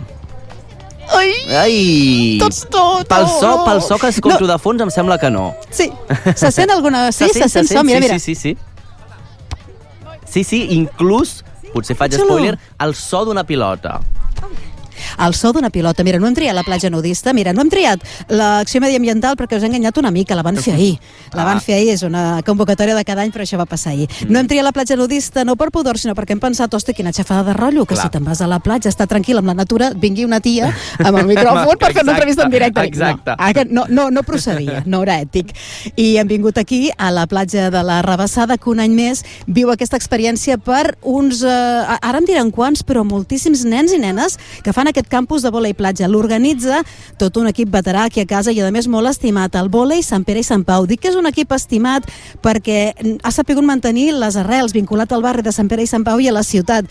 Ai! Ai! Tots, tots! Pel so, pel so que escolto no. de fons em sembla que no. Sí, se sent alguna... Sí, se sent, so, mira, sí, mira. Sí, sí, sí. Sí, sí, inclús, potser faig Xulo. spoiler, el so d'una pilota. El so d'una pilota. Mira, no hem triat la platja nudista, mira, no hem triat l'acció mediambiental perquè us he enganyat una mica, la van fer ahir. La van Ah. fer ahir, és una convocatòria de cada any, però això va passar ahir. No hem triat la platja nudista, no per pudor, sinó perquè hem pensat, hosti, quina xafada de rotllo, que Clar. si te'n vas a la platja, està tranquil amb la natura, vingui una tia amb el micròfon per fer una entrevista en directe. Exacte. No, ah, que no, no, no procedia, no era ètic. I hem vingut aquí, a la platja de la Rabassada, que un any més viu aquesta experiència per uns, eh, ara em diran quants, però moltíssims nens i nenes que fan aquest aquest campus de vòlei platja. L'organitza tot un equip veterà aquí a casa i, a més, molt estimat, el Vòlei Sant Pere i Sant Pau. Dic que és un equip estimat perquè ha sapigut mantenir les arrels, vinculat al barri de Sant Pere i Sant Pau i a la ciutat.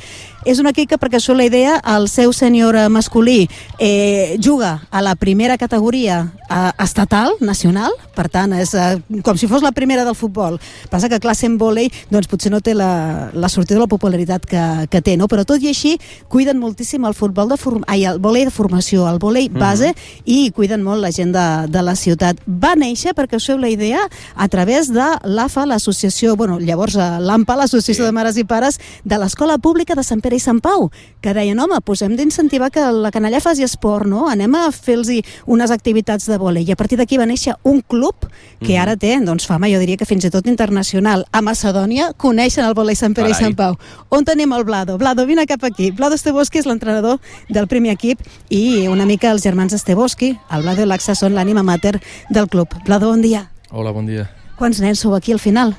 És un equip que, perquè això la idea, el seu sènior masculí eh, juga a la primera categoria eh, estatal, nacional, per tant, és eh, com si fos la primera del futbol. Passa que, clar, sent vòlei, doncs potser no té la, la sortida o la popularitat que, que té, no? Però tot i així, cuiden moltíssim el futbol de form... Ai, el vòlei de formació, el vòlei base, mm-hmm. i cuiden molt la gent de, de la ciutat. Va néixer, perquè us feu la idea, a través de l'A F A, l'associació, bueno, llavors l'A M P A, l'Associació sí. de Mares i Pares de l'Escola Pública de Sant Pere i Sant Pau, que deien, home, doncs hem d'incentivar que la canalla faci esport, no? Anem a fer-los unes activitats de vòlei. I a partir d'aquí va néixer un club que ara té, doncs, fama, jo diria que fins i tot internacional. A Macedònia coneixen el vòlei Sant Pere Carai. i Sant Pau. On tenim el Vlado? Vlado, vine cap aquí. Vlado Estevoski és l'entrenador del primer equip i una mica els germans Estevoski, el Vlado i l'Axa, són l'ànima mater del club. Vlado, bon dia. Hola, bon dia. ¿Cuántos nens sou aquí al final?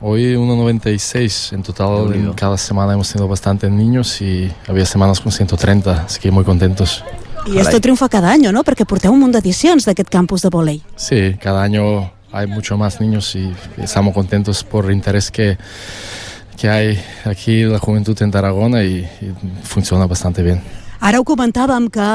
Hoy uno noventa y seis. En total, en cada semana hemos tenido bastantes niños y había semanas con ciento treinta, así que muy contentos. Y esto triunfa cada año, ¿no? Porque porteu un munt d'edicions d'aquest campus de vòlei. Sí, cada año hay mucho más niños y estamos contentos por el interés que, que hay aquí la juventud en Tarragona y, y funciona bastante bien. Ara ho comentàvem que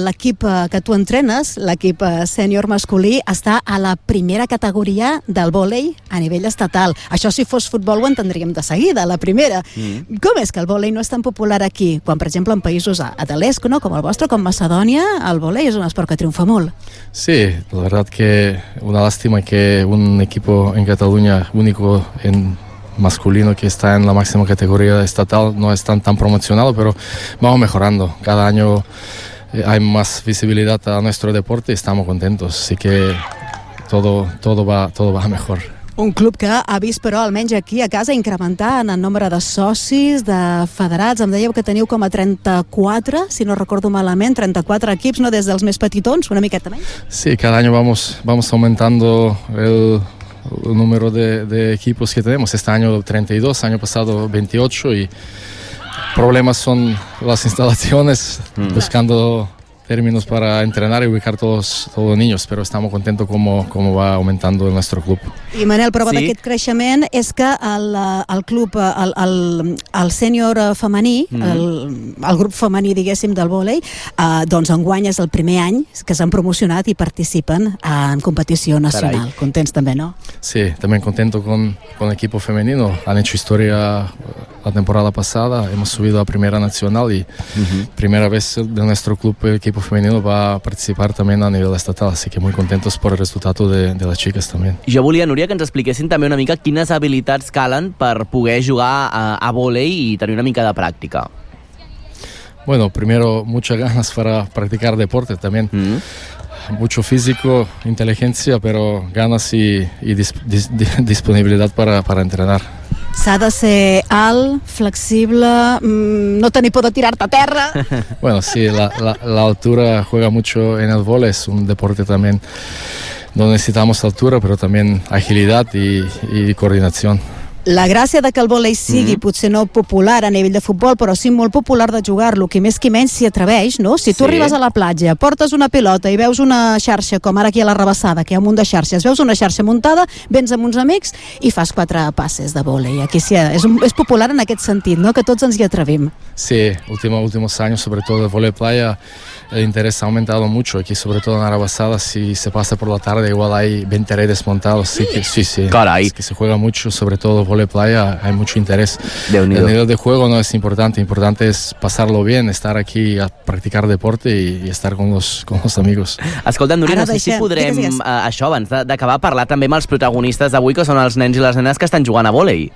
l'equip que tu entrenes, l'equip sènior masculí, està a la primera categoria del vòlei a nivell estatal. Això, si fos futbol, ho entendríem de seguida, la primera. Mm. Com és que el vòlei no és tan popular aquí? Quan, per exemple, en països de l'est, no? Com el vostre, com Macedònia, el vòlei és un esport que triomfa molt. Sí, la verdad que una lástima que un equipo en Cataluña único en masculino que está en la máxima categoría estatal no es tan, tan promocionado, pero vamos mejorando. Cada año eh, hay más visibilidad a nuestro deporte y estamos contentos. Así que todo, todo, va, todo va mejor. Un club que ha vist, però, almenys aquí a casa, incrementar en el nombre de socis, de federats. Em dèieu que teniu com a trenta-quatre, si no recordo malament, trenta-quatre equips, no? Des dels més petitons, una miqueta menys. Sí, cada año vamos, vamos aumentando el... el número de, de equipos que tenemos. Este año treinta y dos, año pasado veintiocho, y problemas son las instalaciones, mm. buscando términos para entrenar y ubicar todos, todos los niños, pero estamos contentos como, como va aumentando nuestro club. I Manel, prova sí. d'aquest creixement és que el, el club, el, el, el sènior femení, mm. el, el grup femení, diguéssim, del vòlei, eh, doncs enguany és el primer any que s'han promocionat i participen en competició nacional. Carai. Contents també, no? Sí, también contento con, con el equipo femenino. Han hecho historia la temporada pasada, hemos subido a Primera Nacional y uh-huh. primera vez de nuestro club el equipo femenino va a participar también a nivel estatal, así que muy contentos por el resultado de, de las chicas también. Jo volia, Núria, que ens expliquessin també una mica quines habilitats calen per poder jugar a, a vòlei i tenir una mica de pràctica. Bueno, primero, muchas ganas para practicar deporte también. Mm. Mucho físico, inteligencia, pero ganas y, y dis, dis, disponibilidad para, para entrenar. S'ha de ser alt, flexible, mmm, no tenir por de tirar-te a terra. Bueno, sí, la, la, la altura juega mucho en el vóley, es un deporte también donde necesitamos altura, pero también agilidad y, y coordinación. La gràcia de que el vòlei sigui mm-hmm. potser no popular a nivell de futbol, però sí molt popular de jugar-lo, que més que menys s'hi atreveix, no? Si tu sí. arribes a la platja, portes una pilota i veus una xarxa, com ara aquí a la Rabassada, que hi ha un munt de xarxes, veus una xarxa muntada, vens amb uns amics i fas quatre passes de vòlei. Aquí sí, és, un, és popular en aquest sentit, no? Que tots ens hi atrevim. Sí, últimos, últimos años, sobre todo el vòlei playa, el interés ha aumentado mucho. Aquí, sobre todo en Arabassada, si se pasa por la tarde, igual hay veinte redes montados. Así que sí, sí. Caray. Es que se juega mucho, sobre todo vóley playa, hay mucho interés. El nivel de juego no es importante, importante es pasarlo bien, estar aquí a practicar deporte y, y estar con los, con los amigos. Escolta, Núria, no sé si podrem, uh, això, abans d'acabar, parlar també amb els protagonistes d'avui, que són els nens i les nenes que estan jugant a vòlei.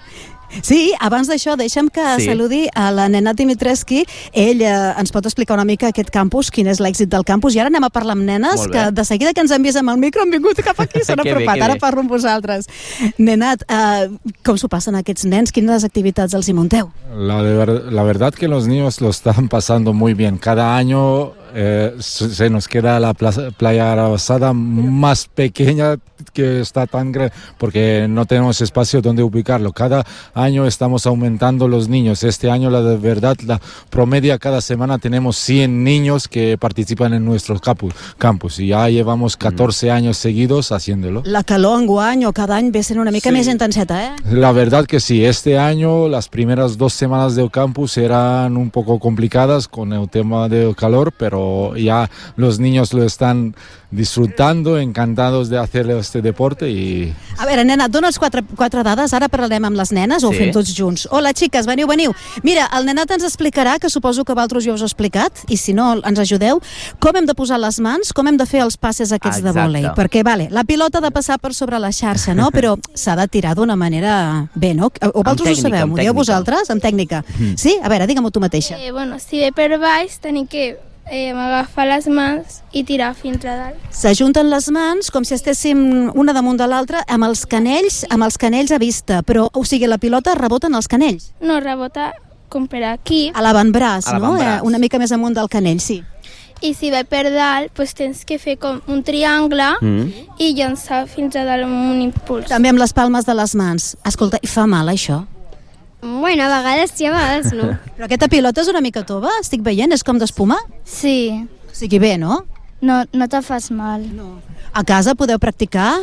Sí, abans d'això, deixa'm que sí. saludi a la Nenad Dimitrescu. Ell eh, ens pot explicar una mica aquest campus, quin és l'èxit del campus, i ara anem a parlar amb nenes, que de seguida que ens han vist amb el micro han vingut cap aquí, s'han apropat, bé, ara parlo amb vosaltres. Nenad, eh, com s'ho passen aquests nens? Quines activitats els hi munteu? La, de ver, la verdad que los niños lo están pasando muy bien. Cada año eh, se nos queda la plaza, playa Arabasada más pequeña que está tan grande, porque no tenemos espacio donde ubicarlo. Cada año estamos aumentando los niños. Este año, la de verdad, la promedia cada semana tenemos cien niños que participan en nuestros campus, campus y ya llevamos catorce años seguidos haciéndolo. La calor enguany o cada any ve sent una mica Sí. més intenseta, eh? La verdad que sí, este año las primeras dos semanas del campus eran un poco complicadas con el tema del calor, pero ya los niños lo están disfrutando, encantados de hacer este deporte y... A veure, nena, et dones quatre, quatre dades, ara parlarem amb les nenes o ho Sí. fem tots junts. Hola, xiques, veniu, veniu. Mira, el nenat ens explicarà, que suposo que vosaltres ja us ho he explicat, i si no, ens ajudeu, com hem de posar les mans, com hem de fer els passes aquests Exacte. de vòlei. Perquè, vale, la pilota ha de passar per sobre la xarxa, no? Però s'ha de tirar d'una manera bé, no? O vosaltres ho tècnica, sabeu, amb m'ho dieu tècnica. vosaltres, amb tècnica. Mm. Sí? A veure, digue-m'ho tu mateixa. Eh, bueno, si ve per baix, tenim que eh, agafar les mans i tirar fins a dalt. S'ajunten les mans com si estéssim una damunt de l'altra amb els canells, amb els canells a vista, però, o sigui, la pilota rebota en els canells. No, rebota com per aquí. A l'avantbraç, A no? l'avantbraç. Eh, una mica més amunt del canell, sí. I si ve per dalt, doncs tens que fer com un triangle Mm. i llançar fins a dalt amb un impuls. També amb les palmes de les mans. Escolta, i fa mal, això? Bueno, a vegades sí, a vegades no. Però aquesta pilota és una mica tova, estic veient, és com d'espuma? Sí. O sigui, bé, no? No, no te fas mal. No. A casa podeu practicar?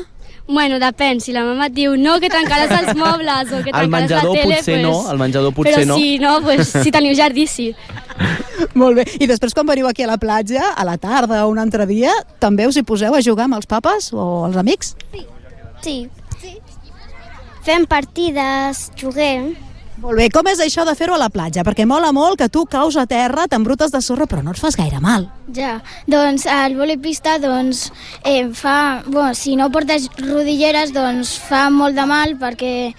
Bueno, depèn, si la mama et diu no, que tancaràs els mobles o que Al tancaràs la menjador tele, potser pues... no, al menjador potser Però no. si no, pues, si teniu jardí, sí. Molt bé. I després, quan veniu aquí a la platja, a la tarda o un altre dia, també us hi poseu a jugar amb els papes o els amics? Sí. sí. Fem partides, juguem. Molt bé, com és això de fer-ho a la platja? Perquè mola molt que tu caus a terra, t'embrutes de sorra, però no et fas gaire mal. Ja, doncs el voleipista doncs, eh, fa, bueno, si no portes rodilleres doncs fa molt de mal perquè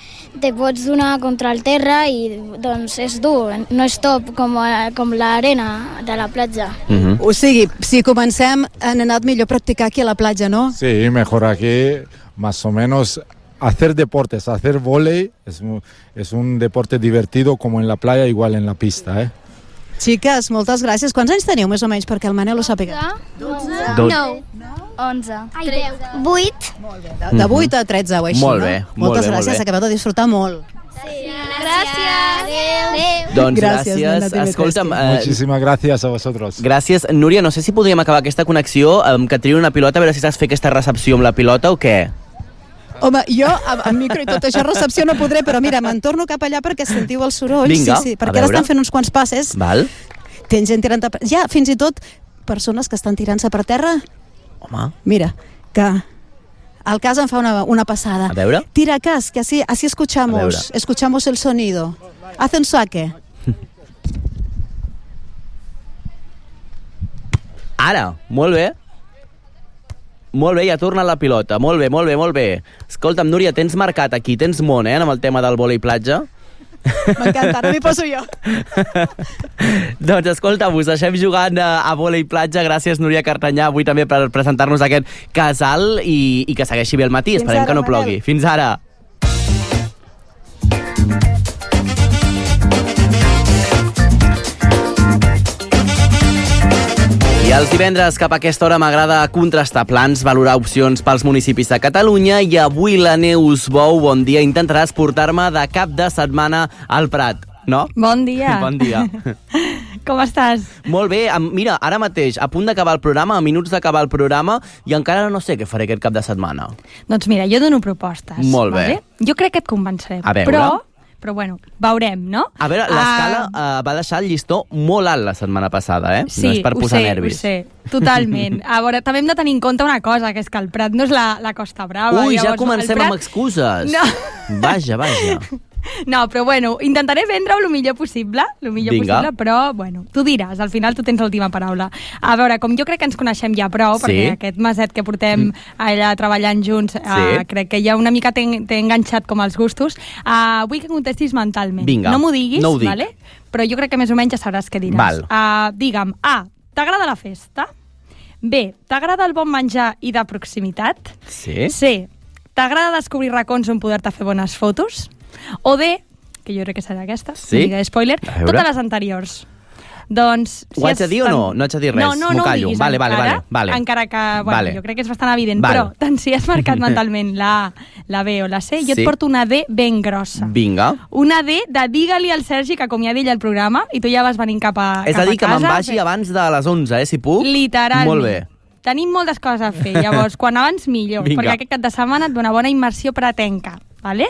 te pots donar contra el terra i doncs és dur, no és top com, eh, com l'arena de la platja. Mm-hmm. O sigui, si comencem, han anat millor practicar aquí a la platja, no? Sí, mejor aquí, más o menos... Hacer deportes, hacer vóley es, mu- es un deporte divertido como en la playa, igual en la pista, ¿eh? Xiques, moltes gràcies. Quants anys teniu, més o menys, perquè el Manel ho sàpiga? dotze, Dot- nou, onze, tretze, vuit. De, de vuit a tretze o així, Molt no? bé, molt Moltes bé, molt gràcies, bé. acabeu de disfrutar molt. Gràcies. Adéu. Doncs Gràcies, gràcies. nena, T V tres. Escolta'm, eh, Muchísimas gracias a vosotros. gràcies. Núria, no sé si podríem acabar aquesta connexió amb que triï una pilota, a veure si saps fer aquesta recepció amb la pilota o què? Home, jo amb, amb micro i tot això, recepció no podré, però mira, me'n torno cap allà perquè sentiu els sorolls. Vinga, sí, sí, a perquè ara veure. estan fent uns quants passes. Val. Tens gent tirant... A... Ja, fins i tot persones que estan tirant-se per terra. Home. Mira, que al cas em fa una, una passada. A veure. Tira cas, que así, así A escuchamos, veure. escuchamos el sonido. Haz un saque. Ara, molt bé. Molt bé, ja torna la pilota. Molt bé, molt bé, molt bé. Escolta'm, Núria, tens marcat aquí, tens món, eh, amb el tema del vòlei platja. M'encanta, ara m'hi poso jo. Doncs escolta, us deixem jugant a, a vòlei platja. Gràcies, Núria Cartanyà, avui també per presentar-nos aquest casal i, i que segueixi bé el matí. Fins Esperem ara, que no Manel. plogui. Fins ara. I els divendres cap a aquesta hora m'agrada contrastar plans, valorar opcions pels municipis de Catalunya i avui la Neus Bou, bon dia, intentaràs portar-me de cap de setmana al Prat, no? Bon dia. Bon dia. Com estàs? Molt bé, am- mira, ara mateix, a punt d'acabar el programa, a minuts d'acabar el programa, i encara no sé què faré aquest cap de setmana. Doncs mira, jo dono propostes. Molt bé. Vale? Jo crec que et convenceré. A veure. Però, però bueno, veurem, no? A veure, l'escala Ah, uh, va deixar el llistó molt alt la setmana passada, eh? Sí, no és per ho posar sé, nervis. ho sé, totalment. A veure, també hem de tenir en compte una cosa, que és que el Prat no és la, la Costa Brava. Ui, ja llavors, comencem el Prat... amb excuses. No. Vaja, vaja. No, però bueno, intentaré vendre-ho el millor possible, el millor Vinga. possible, però bueno, tu diràs, al final tu tens l'última paraula. A veure, com jo crec que ens coneixem ja prou, Sí. perquè aquest meset que portem allà treballant junts, Sí. eh, crec que ja una mica t'he t'he enganxat com els gustos, uh, vull que contestis mentalment. Vinga, no m'ho diguis, no ho dic. vale? Però jo crec que més o menys ja sabràs què diràs. Val. Uh, digue'm, A, t'agrada la festa? B, t'agrada el bon menjar i de proximitat? Sí? C, t'agrada descobrir racons on poder-te fer bones fotos? O D, que jo crec que serà aquesta, Sí? no diré spoiler, A veure. totes les anteriors. Doncs, si Ho haig de dir o no? No haig de dir res, no, no, m'ho no callo. Diguis Vale, vale, encara, vale, vale. encara que, bueno, Vale. jo crec que és bastant evident, Vale. però tant si has marcat mentalment la A, la B o la C, jo Sí. et porto una D ben grossa. Vinga. Una D de digue-li al Sergi que acomiadi ell el programa i tu ja vas venint cap a, És cap a dir, a que casa. me'n vagi abans de les onze, eh, si puc? Literalment. Molt bé. Tenim moltes coses a fer, llavors, quan abans millor, Vinga. perquè aquest cap de setmana et dona bona immersió pretenca, vale?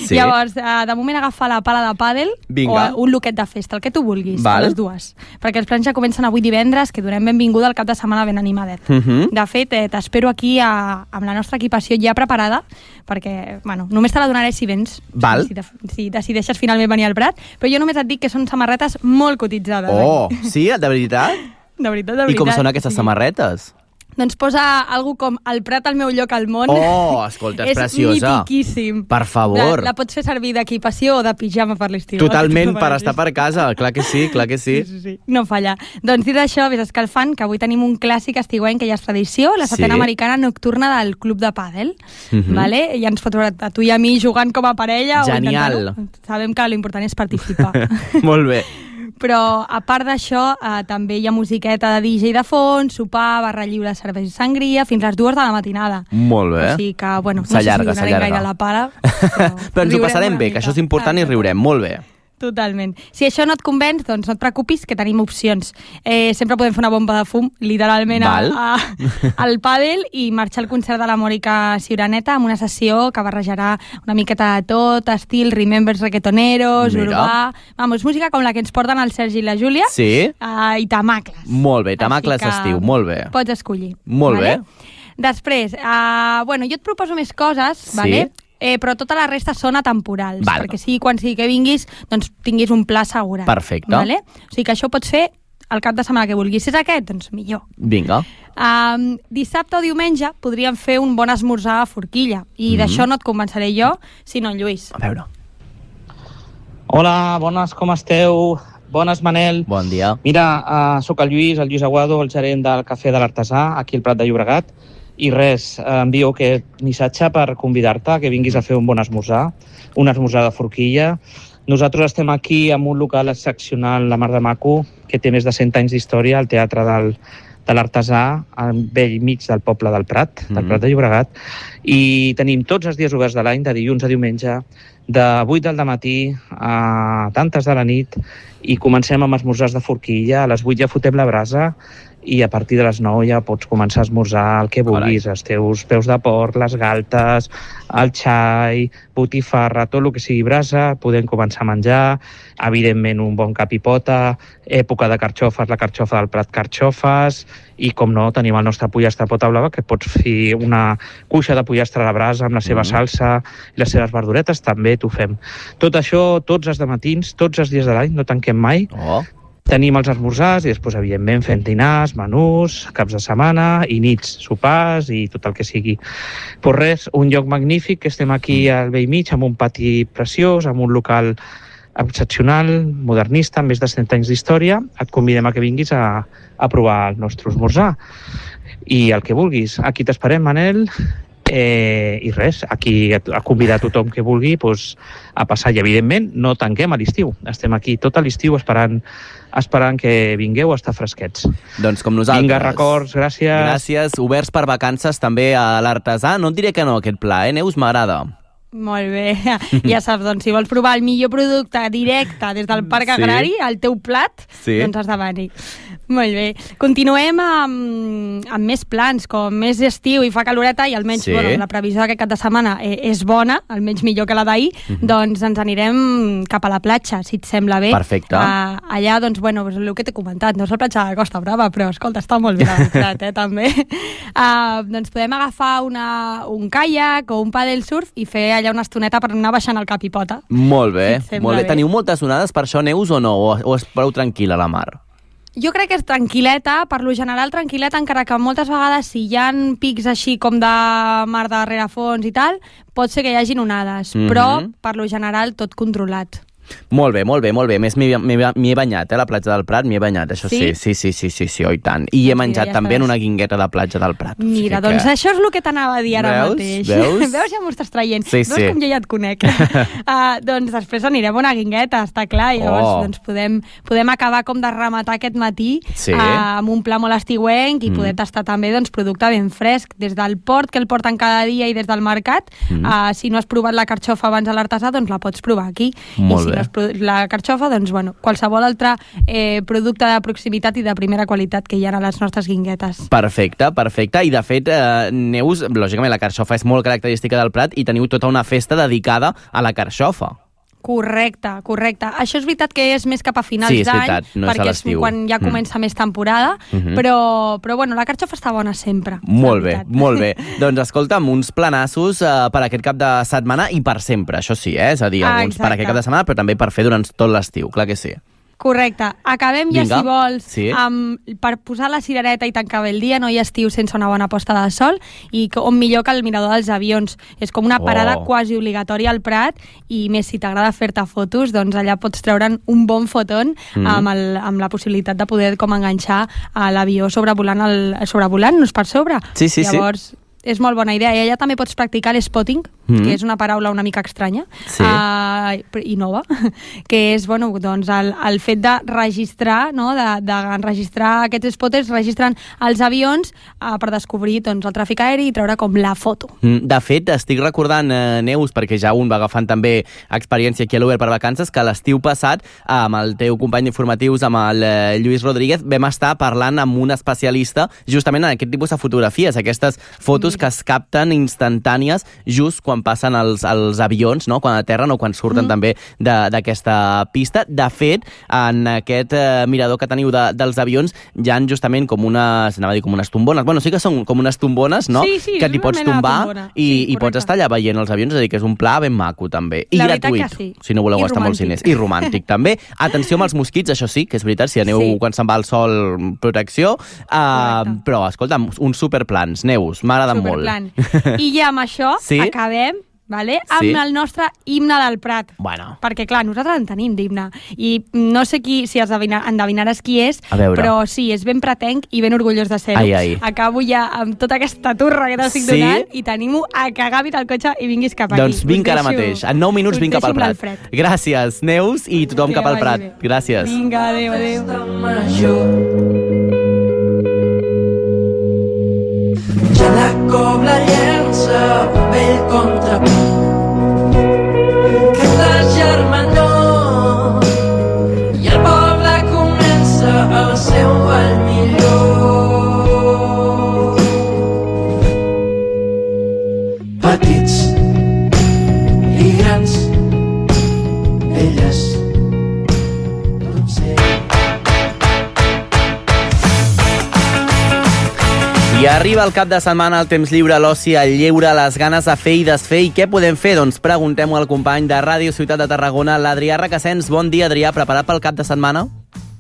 Sí. Llavors, eh, de moment agafar la pala de pàdel Vinga. o un loquet de festa, el que tu vulguis, Val. a les dues. Perquè els plans ja comencen avui divendres, que donem benvinguda al cap de setmana ben animadet. Uh -huh. De fet, eh, t'espero aquí a, amb la nostra equipació ja preparada, perquè, bueno, només te la donaré si vens, Val. si, de, si decideixes finalment venir al Prat, però jo només et dic que són samarretes molt cotitzades. Oh, eh? sí? De veritat? De veritat, de veritat. I com són aquestes sí. samarretes? Doncs posa algú com el Prat al meu lloc al món. Oh, escolta, és preciosa. És mitiquíssim. Per favor. La, la pots fer servir d'equipació o de pijama per l'estiu. Totalment, per estar per casa. Clar que sí, clar que sí. Sí, sí, sí. No falla. Doncs dit això, vés escalfant, que avui tenim un clàssic estiuenc que ja és tradició, la setena Sí. americana nocturna del Club de Pàdel. Mhm. Vale? I ens pot veure a tu i a mi jugant com a parella. Genial. O intentant-ho. Sabem que l'important és participar. Molt bé. Però, a part d'això, eh, també hi ha musiqueta de D J de fons, sopar, barra lliure, cervesa i sangria, fins les dues de la matinada. Molt bé. O sigui que, bueno, no S'allarga, sé si donarem s'allarga. gaire la pala. Però ens ho riurem passarem una bé, mica. que això és important i riurem. Molt bé. Totalment. Si això no et convenç, doncs no et preocupis, que tenim opcions. Eh, sempre podem fer una bomba de fum, literalment, a, Val. a, al pàdel i marxar al concert de la Mònica Ciuraneta amb una sessió que barrejarà una miqueta de tot, estil Remembers reggaetoneros, Mira. urbà... Vamos, música com la que ens porten el Sergi i la Júlia. Sí? Uh, I tamacles. Molt bé, tamacles Així que estiu, molt bé. Pots escollir. Molt vale? bé. Després, uh, bueno, jo et proposo més coses, Sí. vale? Eh, però tota la resta són atemporals, Val. perquè sigui quan sigui que vinguis, doncs tinguis un pla assegurat. Perfecte. Vale? O sigui que això ho pots fer el cap de setmana que vulguis. Si és aquest, doncs millor. Vinga. Um, dissabte o diumenge podríem fer un bon esmorzar a Forquilla, i Mhm. d'això no et convenceré jo, sinó en Lluís. A veure. Hola, bones, com esteu? Bones, Manel. Bon dia. Mira, uh, sóc el Lluís, el Lluís Aguado, el gerent del Cafè de l'Artesà, aquí al Prat de Llobregat, i res, eh, envio aquest missatge per convidar-te que vinguis a fer un bon esmorzar, un esmorzar de forquilla. Nosaltres estem aquí en un local excepcional, la Mar de Maco, que té més de cent anys d'història, al Teatre del, de l'Artesà, al vell mig del poble del Prat, del Mhm. Prat de Llobregat, i tenim tots els dies oberts de l'any, de dilluns a diumenge, de vuit del matí a tantes de la nit, i comencem amb esmorzars de forquilla. A les vuit ja fotem la brasa i a partir de les nou ja pots començar a esmorzar el que vulguis, els teus peus de porc, les galtes, el xai, botifarra, tot el que sigui brasa, podem començar a menjar, evidentment un bon capipota, època de carxofes, la carxofa del Prat carxofes, i com no, tenim el nostre pollastre pota blava, que pots fer una cuixa de pollastre a la brasa amb la seva Mhm. salsa i les seves verduretes, també t'ho fem. Tot això, tots els dematins, tots els dies de l'any, no tanquem mai. Oh. Tenim els esmorzars i després, evidentment, fem dinars, menús, caps de setmana i nits, sopars i tot el que sigui. Pues res, un lloc magnífic, que estem aquí al vell mig, amb un pati preciós, amb un local excepcional, modernista, amb més de cent anys d'història. Et convidem a que vinguis a, a provar el nostre esmorzar. I el que vulguis. Aquí t'esperem, Manel. Eh, I res, aquí a, a convidar a tothom que vulgui pues, a passar. I, evidentment, no tanquem a l'estiu. Estem aquí tot a l'estiu esperant, esperant que vingueu a estar fresquets. Doncs com nosaltres. Vinga, records, gràcies. Gràcies. Oberts per vacances també a l'Artesà. No et diré que no, aquest pla, eh, Neus? M'agrada. Molt bé. Ja saps, doncs, si vols provar el millor producte directe des del Parc Sí. Agrari, el teu plat, Sí. doncs has de venir. Molt bé. Continuem amb, amb més plans, com més estiu i fa caloreta i almenys Sí. bueno, la previsió d'aquest cap de setmana eh, és bona, almenys millor que la d'ahir, Mhm. doncs ens anirem cap a la platja, si et sembla bé. Perfecte. Uh, allà, doncs, bueno, és el que t'he comentat, no és la platja de Costa Brava, però, escolta, està molt bé la Prat, eh, també. Uh, doncs podem agafar una, un caiac o un paddle surf i fer allà una estoneta per anar baixant el cap i pota. Molt bé, Si et sembla molt bé. bé. Teniu moltes onades per això, Neus, o no? O, o és prou tranquil·la la mar? Jo crec que és tranquil·leta, per lo general tranquil·leta, encara que moltes vegades si hi ha pics així com de mar de rerefons i tal, pot ser que hi hagin onades, Mhm. però per lo general tot controlat. Molt bé, molt bé, molt bé. Més m'hi he banyat, eh, a la platja del Prat, m'hi he banyat, això sí. Sí, sí, sí, sí, sí, oh, i tant. I he menjat ja també estàs. en una guingueta de platja del Prat. Mira, o sigui doncs que... això és el que t'anava a dir ara Veus? mateix. Veus? Veus, ja m'ho estàs traient. Sí, Veus sí. com jo ja et conec. uh, doncs després anirem a una guingueta, està clar, i llavors Oh. doncs podem, podem acabar com de rematar aquest matí Sí. uh, amb un pla molt estiuenc i Mm. poder tastar també doncs, producte ben fresc, des del port, que el porten cada dia, i des del mercat. Mm. Uh, si no has provat la carxofa abans a l'artesà, doncs la pots provar aquí. Molt I si bé. no has provat la carxofa, doncs bueno, qualsevol altre eh, producte de proximitat i de primera qualitat que hi ha a les nostres guinguetes. Perfecte, perfecte. I, de fet, eh, Neus, lògicament, la carxofa és molt característica del Prat i teniu tota una festa dedicada a la carxofa. Correcte, correcte. Això és veritat que és més cap a finals Sí, és d'any, veritat, no és a perquè és l'estiu. quan ja comença mm. més temporada, Mhm. però, però bueno, la carxofa està bona sempre. Molt bé, molt bé. Doncs escolta'm, uns planassos eh, per aquest cap de setmana i per sempre, això sí, eh? És a dir, Ah, alguns per exacte. aquest cap de setmana, però també per fer durant tot l'estiu, clar que sí. Correcte. Acabem ja, Vinga. si vols, Sí. amb, per posar la cirereta i tancar bé el dia. No hi ha estiu sense una bona posta de sol, i que- on millor que el mirador dels avions. És com una parada Oh. quasi obligatòria al Prat, i més si t'agrada fer-te fotos, doncs allà pots treure'n un bon fotón Mm. amb, el, amb la possibilitat de poder com enganxar a l'avió sobrevolant, el, sobrevolant-nos per sobre. Sí, sí, sí. Llavors, és molt bona idea. I allà també pots practicar l'spotting, Mm. que és una paraula una mica estranya, Sí. uh, i nova, que és bueno, doncs el, el fet de registrar, no? de, de registrar aquests spotters, registren els avions uh, per descobrir doncs, el tràfic aeri i treure com la foto. Mm, De fet, estic recordant, eh, Neus, perquè ja un va agafant també experiència aquí a l'Uber per Vacances, que l'estiu passat, amb el teu company d'informatius, amb el eh, Lluís Rodríguez, vam estar parlant amb un especialista justament en aquest tipus de fotografies, aquestes fotos que es capten instantànies just quan passen els, els avions, no? Quan aterren o quan surten mm. també d'aquesta pista. De fet, en aquest eh, mirador que teniu de, dels avions hi ha justament com unes, anava a dir com unes tombones, bueno, sí que són com unes tombones, no? Sí, sí, que és t'hi una pots mena de tombar tombona. i, Sí, i pots estar allà veient els avions, és a dir, que és un pla ben maco també. I La veritat gratuït, que sí. si no voleu I gastar molts romàntic. diners. I romàntic també. Atenció amb els mosquits, això sí, que és veritat, si aneu Sí. quan se'n va al sol, protecció, uh, però escolta, uns superplans, Neus, m'agraden molt. Superplan. I ja amb això Sí? acabem, vale? Amb Sí. el nostre himne del Prat. Bueno. Perquè, clar, nosaltres en tenim d'himne. I no sé qui, si endevina- endevinaràs qui és, A veure. però sí, és ben pratenc i ben orgullós de ser-ho. Ai, ai. Acabo ja amb tota aquesta turra que t'estic Sí? donant i t'animo a que agafis el cotxe i vinguis cap aquí. Doncs vinc Us ara deixo- mateix. En nou minuts us vinc cap al deixo amb Prat. l'Alfred. Gràcies, Neus, i tothom Que cap al vagi Prat. bé. Gràcies. Vinga, adéu, adéu. Ja la cobla llença un vell contrapunt que és la germanor i el poble comença el seu ball millor. Petits i grans, elles I arriba el cap de setmana, el temps lliure, l'oci, el lleure, les ganes de fer i desfer. I què podem fer? Doncs preguntem-ho al company de Ràdio Ciutat de Tarragona, l'Adrià Requesens. Bon dia, Adrià. Preparat pel cap de setmana?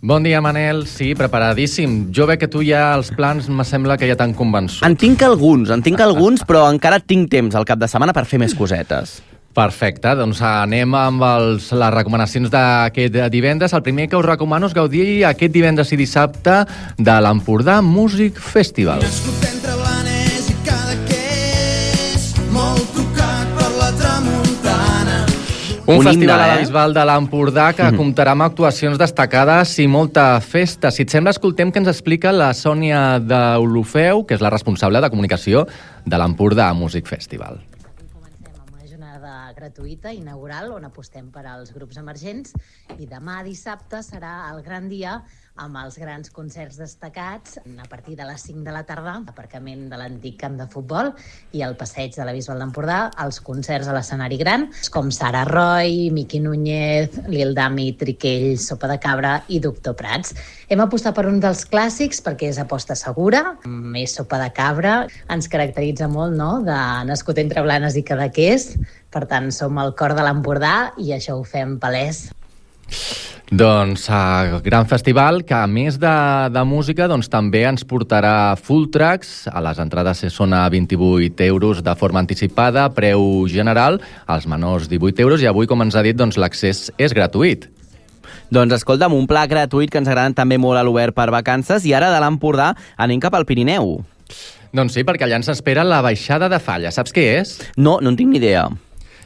Bon dia, Manel. Sí, preparadíssim. Jo veig que tu ja els plans me sembla que ja t'han convençut. En tinc alguns, en tinc alguns, però encara tinc temps al cap de setmana per fer més cosetes. Perfecte, doncs anem amb els, les recomanacions d'aquest divendres. El primer que us recomano és gaudir aquest divendres i dissabte de l'Empordà Music Festival. Entre Blanes i Cadaqués, molt tocat per la tramuntana. Un, Un festival himne, a la eh? Bisbal de l'Empordà que mm. comptarà amb actuacions destacades i molta festa. Si et sembla, escoltem què ens explica la Sònia d'Olofeu, que és la responsable de comunicació de l'Empordà Music Festival. Gratuïta, inaugural, on apostem per als grups emergents, i demà dissabte serà el gran dia amb els grans concerts destacats a partir de les cinc de la tarda, aparcament de l'antic camp de futbol i el passeig de la Bisbal d'Empordà, els concerts a l'escenari gran, com Sara Roy, Miqui Núñez, Lil Dami, Triquell, Sopa de Cabra i Doctor Prats. Hem apostat per un dels clàssics perquè és aposta segura, més Sopa de Cabra, ens caracteritza molt, no?, de nascut entre Blanes i Cadaqués. Per tant, som el cor de l'Empordà i això ho fem palès. Doncs uh, gran festival que a més de, de música doncs, també ens portarà full tracks. A les entrades són a vint-i-vuit euros de forma anticipada, preu general, als menors divuit euros, i avui, com ens ha dit, doncs, l'accés és gratuït. Doncs escolta'm, un pla gratuït que ens agrada també molt a l'Obert per Vacances, i ara de l'Empordà anem cap al Pirineu. Doncs sí, perquè allà ens espera la Baixada de Falla. Saps què és? No, no en tinc ni idea.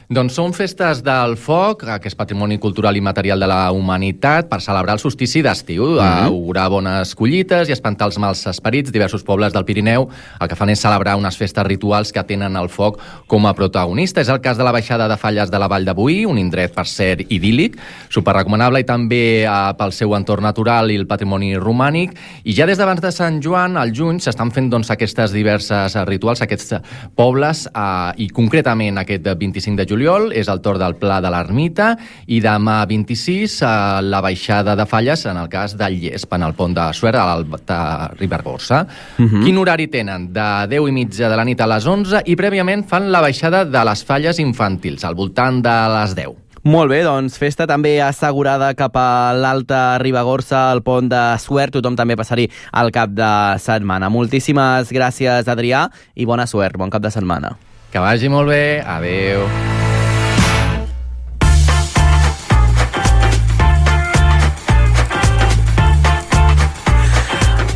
Doncs són festes del foc, que és patrimoni cultural i material de la humanitat, per celebrar el solstici d'estiu, Mhm. augurar bones collites i espantar els mals esperits. Diversos pobles del Pirineu el que fan és celebrar unes festes rituals que tenen el foc com a protagonista. És el cas de la Baixada de Falles de la Vall de Boí, un indret, per cert, idíl·lic, superrecomanable, i també eh, pel seu entorn natural i el patrimoni romànic. I ja des d'abans de Sant Joan, al juny, s'estan fent doncs, aquestes diverses rituals, aquests pobles, eh, i concretament aquest vint-i-cinc de juny juliol és el torn del Pla de l'Ermita, i demà vint-i-sis eh, la Baixada de Falles en el cas del Llesp, en el pont de Suert, a l'Alta Ribagorça. Mhm. Quin horari tenen? De deu i mitja de la nit a les onze, i prèviament fan la baixada de les falles infantils, al voltant de les deu. Molt bé, doncs festa també assegurada cap a l'Alta Ribagorça, al pont de Suert. Tothom també passar-hi al cap de setmana. Moltíssimes gràcies, Adrià, i bona sort. Bon cap de setmana. Que vagi molt bé. Adéu.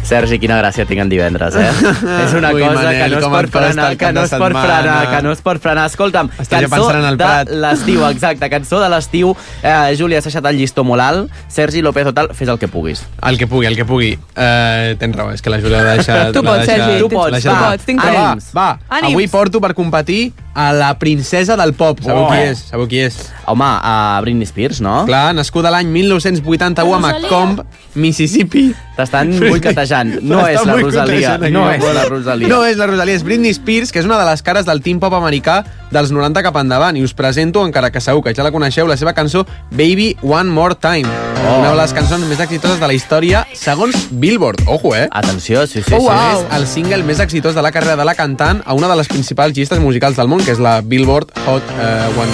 Sergi, quina gràcia tinc en divendres, eh? És una Ui, cosa Manel, que no es com pot et fa frenar, estar que el no cap es de pot frenar, setmana? que no es pot frenar. Escolta'm, Estàs ja cançó pensant en el de Prat. l'estiu, exacte, cançó de l'estiu. Eh, Júlia, has deixat el llistó molt alt. Sergi López Otal, fes el que puguis. El que pugui, el que pugui. Uh, tens raó, és que la Júlia l'ha deixat... Tu l'ha pots, deixat- Sergi, tu pots, l'ha deixat- tu pots, tinc Ah, temps. Va, va. Ànims. Avui porto per competir a la princesa del pop. Sabeu Oh. qui és? Sabeu qui és? Home, a Britney Spears, no? Clar, nascuda l'any mil nou-cents vuitanta-u a Macomb, Mississippi. T'estan boicotejant. No és la Rosalia. No és la Rosalia. No és la Rosalia, és Britney Spears, que és una de les cares del teen pop americà dels noranta cap endavant. I us presento, encara que segur que ja la coneixeu, la seva cançó Baby One More Time. Oh. Una de les cançons més exitoses de la història, segons Billboard. Ojo, eh? Atenció, sí, sí. Oh, sí. wow. És el single més exitós de la carrera de la cantant a una de les principals llistes musicals del món, que és la Billboard Hot uh,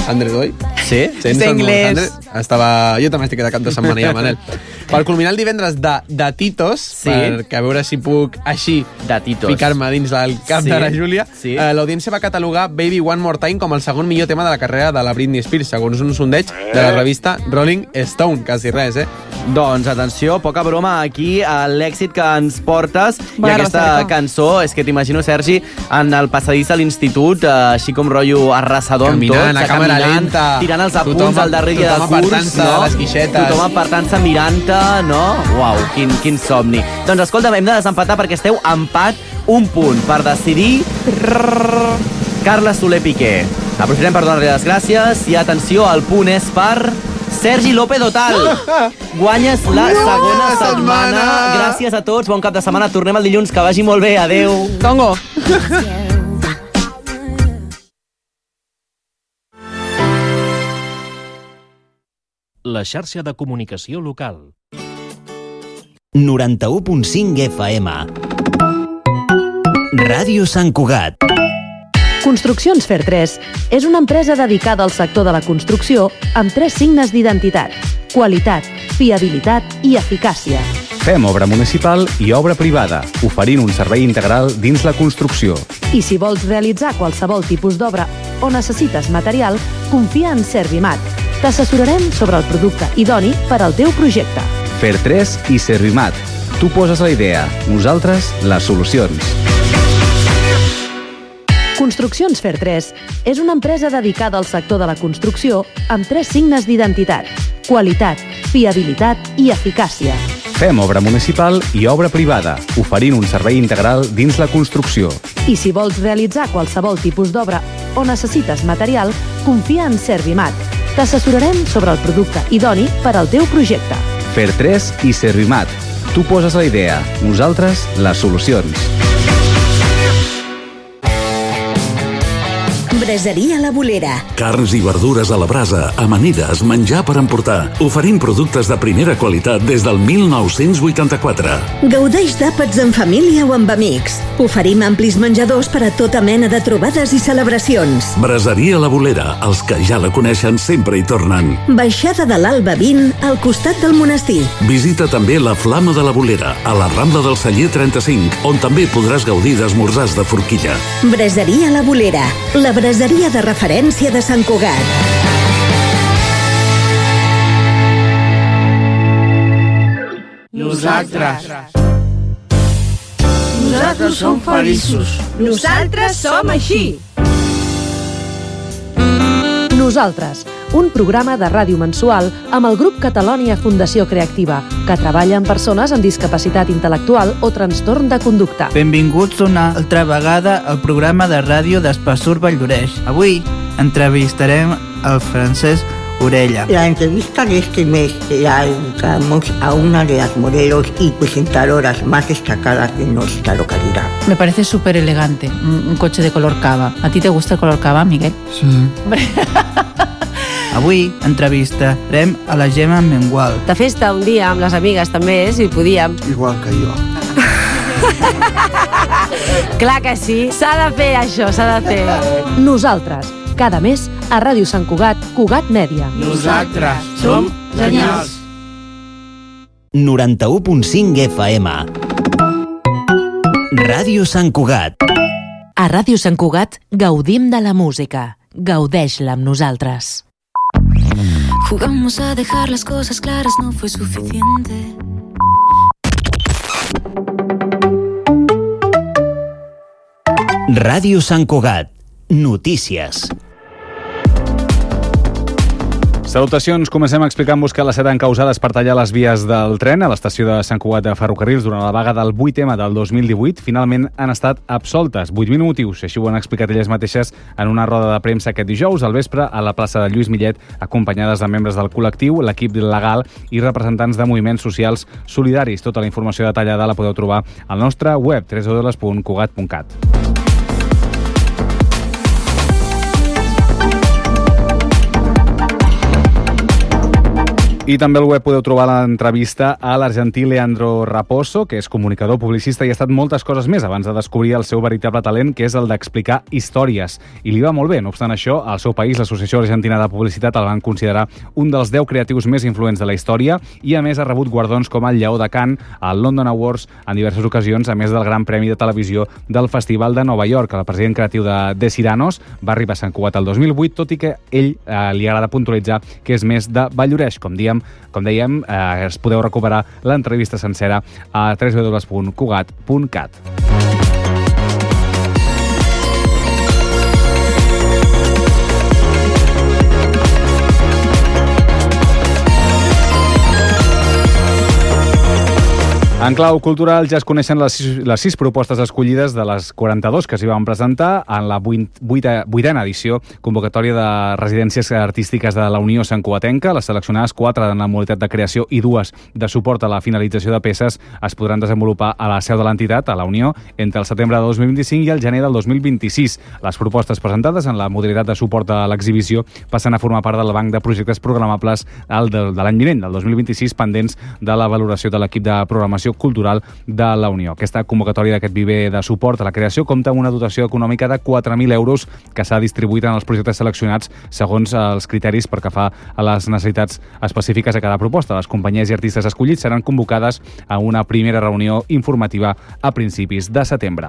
cent, oi? Sí? cent, És anglès. cent. Estava... Jo també estic de cap de setmana ja, Manel. Per culminar el divendres de, de Titos, Sí. perquè a veure si puc així de Titos. ficar-me dins del cap Sí. de la Júlia, Sí. eh, l'audiència va catalogar Baby One More Time com el segon millor tema de la carrera de la Britney Spears, segons un sondeig de la revista Rolling Stone. Quasi res, eh? Doncs atenció, poca broma aquí a l'èxit que ens portes. Bona I aquesta recerca. cançó, és que t'imagino, Sergi, en el passadís a l'institut, eh, així com rotllo arrasador amb Caminant, tot, a càmera caminant, lenta. tirant els apunts Tothom- al darrer dia de tothom curs, apartant-se no? de les guixetes. Tothom apartant-se, mirant-te, no? Uau, quin, quin somni. Doncs escolta, hem de desempatar perquè esteu empat un punt per decidir Carles Soler Piqué. Aprofitem per donar-li les gràcies i atenció, el punt és per Sergi López Otal. Guanyes la segona setmana. Gràcies a tots, bon cap de setmana. Tornem el dilluns, que vagi molt bé. Adéu. Tongo. La xarxa de comunicació local. noranta-u punt cinc F M. Ràdio Sant Cugat. Construccions Fer tres és una empresa dedicada al sector de la construcció amb tres signes d'identitat: qualitat, fiabilitat i eficàcia. Fem obra municipal i obra privada, oferint un servei integral dins la construcció. I si vols realitzar qualsevol tipus d'obra o necessites material, confia en Servimat. T'assessorarem sobre el producte idoni per al teu projecte. Fer tres i Servimat. Tu poses la idea, nosaltres les solucions. Construccions Fer tres és una empresa dedicada al sector de la construcció amb tres signes d'identitat: qualitat, fiabilitat i eficàcia. Fem obra municipal i obra privada, oferint un servei integral dins la construcció. I si vols realitzar qualsevol tipus d'obra o necessites material, confia en Servimat. T'assessorarem sobre el producte idoni per al teu projecte. Fer tres i Servimat. Tu poses la idea, nosaltres les solucions. Braseria La Bolera. Carns i verdures a la brasa, amanides, menjar per emportar. Oferim productes de primera qualitat des del mil nou-cents vuitanta-quatre. Gaudeix d'àpats en família o amb amics. Oferim amplis menjadors per a tota mena de trobades i celebracions. Braseria La Bolera, els que ja la coneixen sempre hi tornen. Baixada de l'Alba vint, al costat del monestir. Visita també la Flama de la Bolera, a la Rambla del Celler trenta-cinc, on també podràs gaudir d'esmorzars de forquilla. Braseria La Bolera, la braseria de referència de Sant Cugat. Nosaltres. Nosaltres som feliços. Nosaltres som així. Nosaltres, un programa de ràdio mensual amb el grup Catalònia Fundació Creativa, que treballa amb persones amb discapacitat intel·lectual o trastorn de conducta. Benvinguts una altra vegada al programa de ràdio d'Espassur Valldoreix. Avui entrevistarem el Francesc Orella. La entrevista de este mes la dedicamos a una de las modelos y presentadoras más destacadas de nuestra localidad. Me parece súper elegante, un, un coche de color cava. ¿A ti te gusta el color cava, Miguel? Sí. Avui entrevistarem a la Gemma Mengual. De festa un dia amb les amigues també, si podíem. Igual que jo. Clar que sí, s'ha de fer això, s'ha de fer. Nosaltres, cada mes a Ràdio Sant Cugat, Cugat Mèdia. Nosaltres som genials. noranta-u punt cinc F M. Ràdio Sant Cugat. A Ràdio Sant Cugat gaudim de la música. Gaudeix-la amb nosaltres. Jugamos a dejar las cosas claras, no fue suficiente. Ràdio Sant Cugat. Notícies. Salutacions, comencem explicant-vos que les set encausades per tallar les vies del tren a l'estació de Sant Cugat de Ferrocarrils durant la vaga del vuit ema del dos mil divuit finalment han estat absoltes. vuit mil motius, així ho han explicat elles mateixes en una roda de premsa aquest dijous al vespre a la plaça de Lluís Millet, acompanyades de membres del col·lectiu, l'equip legal i representants de moviments socials solidaris. Tota la informació detallada la podeu trobar al nostre web w w w punt cugat punt cat. I també al web podeu trobar l'entrevista a l'argentí Leandro Raposo, que és comunicador, publicista i ha estat moltes coses més abans de descobrir el seu veritable talent, que és el d'explicar històries. I li va molt bé. No obstant això, al seu país, l'Associació Argentina de Publicitat el van considerar un dels deu creatius més influents de la història i, a més, ha rebut guardons com el Lleó de Cannes, el London Awards, en diverses ocasions, a més del Gran Premi de Televisió del Festival de Nova York. El president creatiu de De Ciranos va arribar a Sant Cugat el dos mil vuit, tot i que ell eh, li agrada puntualitzar que és més de Valldoreix. Com diem, Com dèiem, eh, es podeu recuperar l'entrevista sencera a w w w punt cugat punt cat. En clau cultural ja es coneixen les sis, les sis propostes escollides de les quaranta-dues que s'hi van presentar en la vuitena edició convocatòria de residències artístiques de la Unió Santcugatenca. Les seleccionades, quatre en la modalitat de creació i dues de suport a la finalització de peces, es podran desenvolupar a la seu de l'entitat, a la Unió, entre el setembre de dos mil vint-i-cinc i el gener del dos mil vint-i-sis. Les propostes presentades en la modalitat de suport a l'exhibició passen a formar part del banc de projectes programables de, de l'any vinent, del dos mil vint-i-sis, pendents de la valoració de l'equip de programació cultural de la Unió. Aquesta convocatòria d'aquest viver de suport a la creació compta amb una dotació econòmica de quatre mil euros que s'ha distribuït en els projectes seleccionats segons els criteris per que fa a les necessitats específiques a cada proposta. Les companyies i artistes escollits seran convocades a una primera reunió informativa a principis de setembre.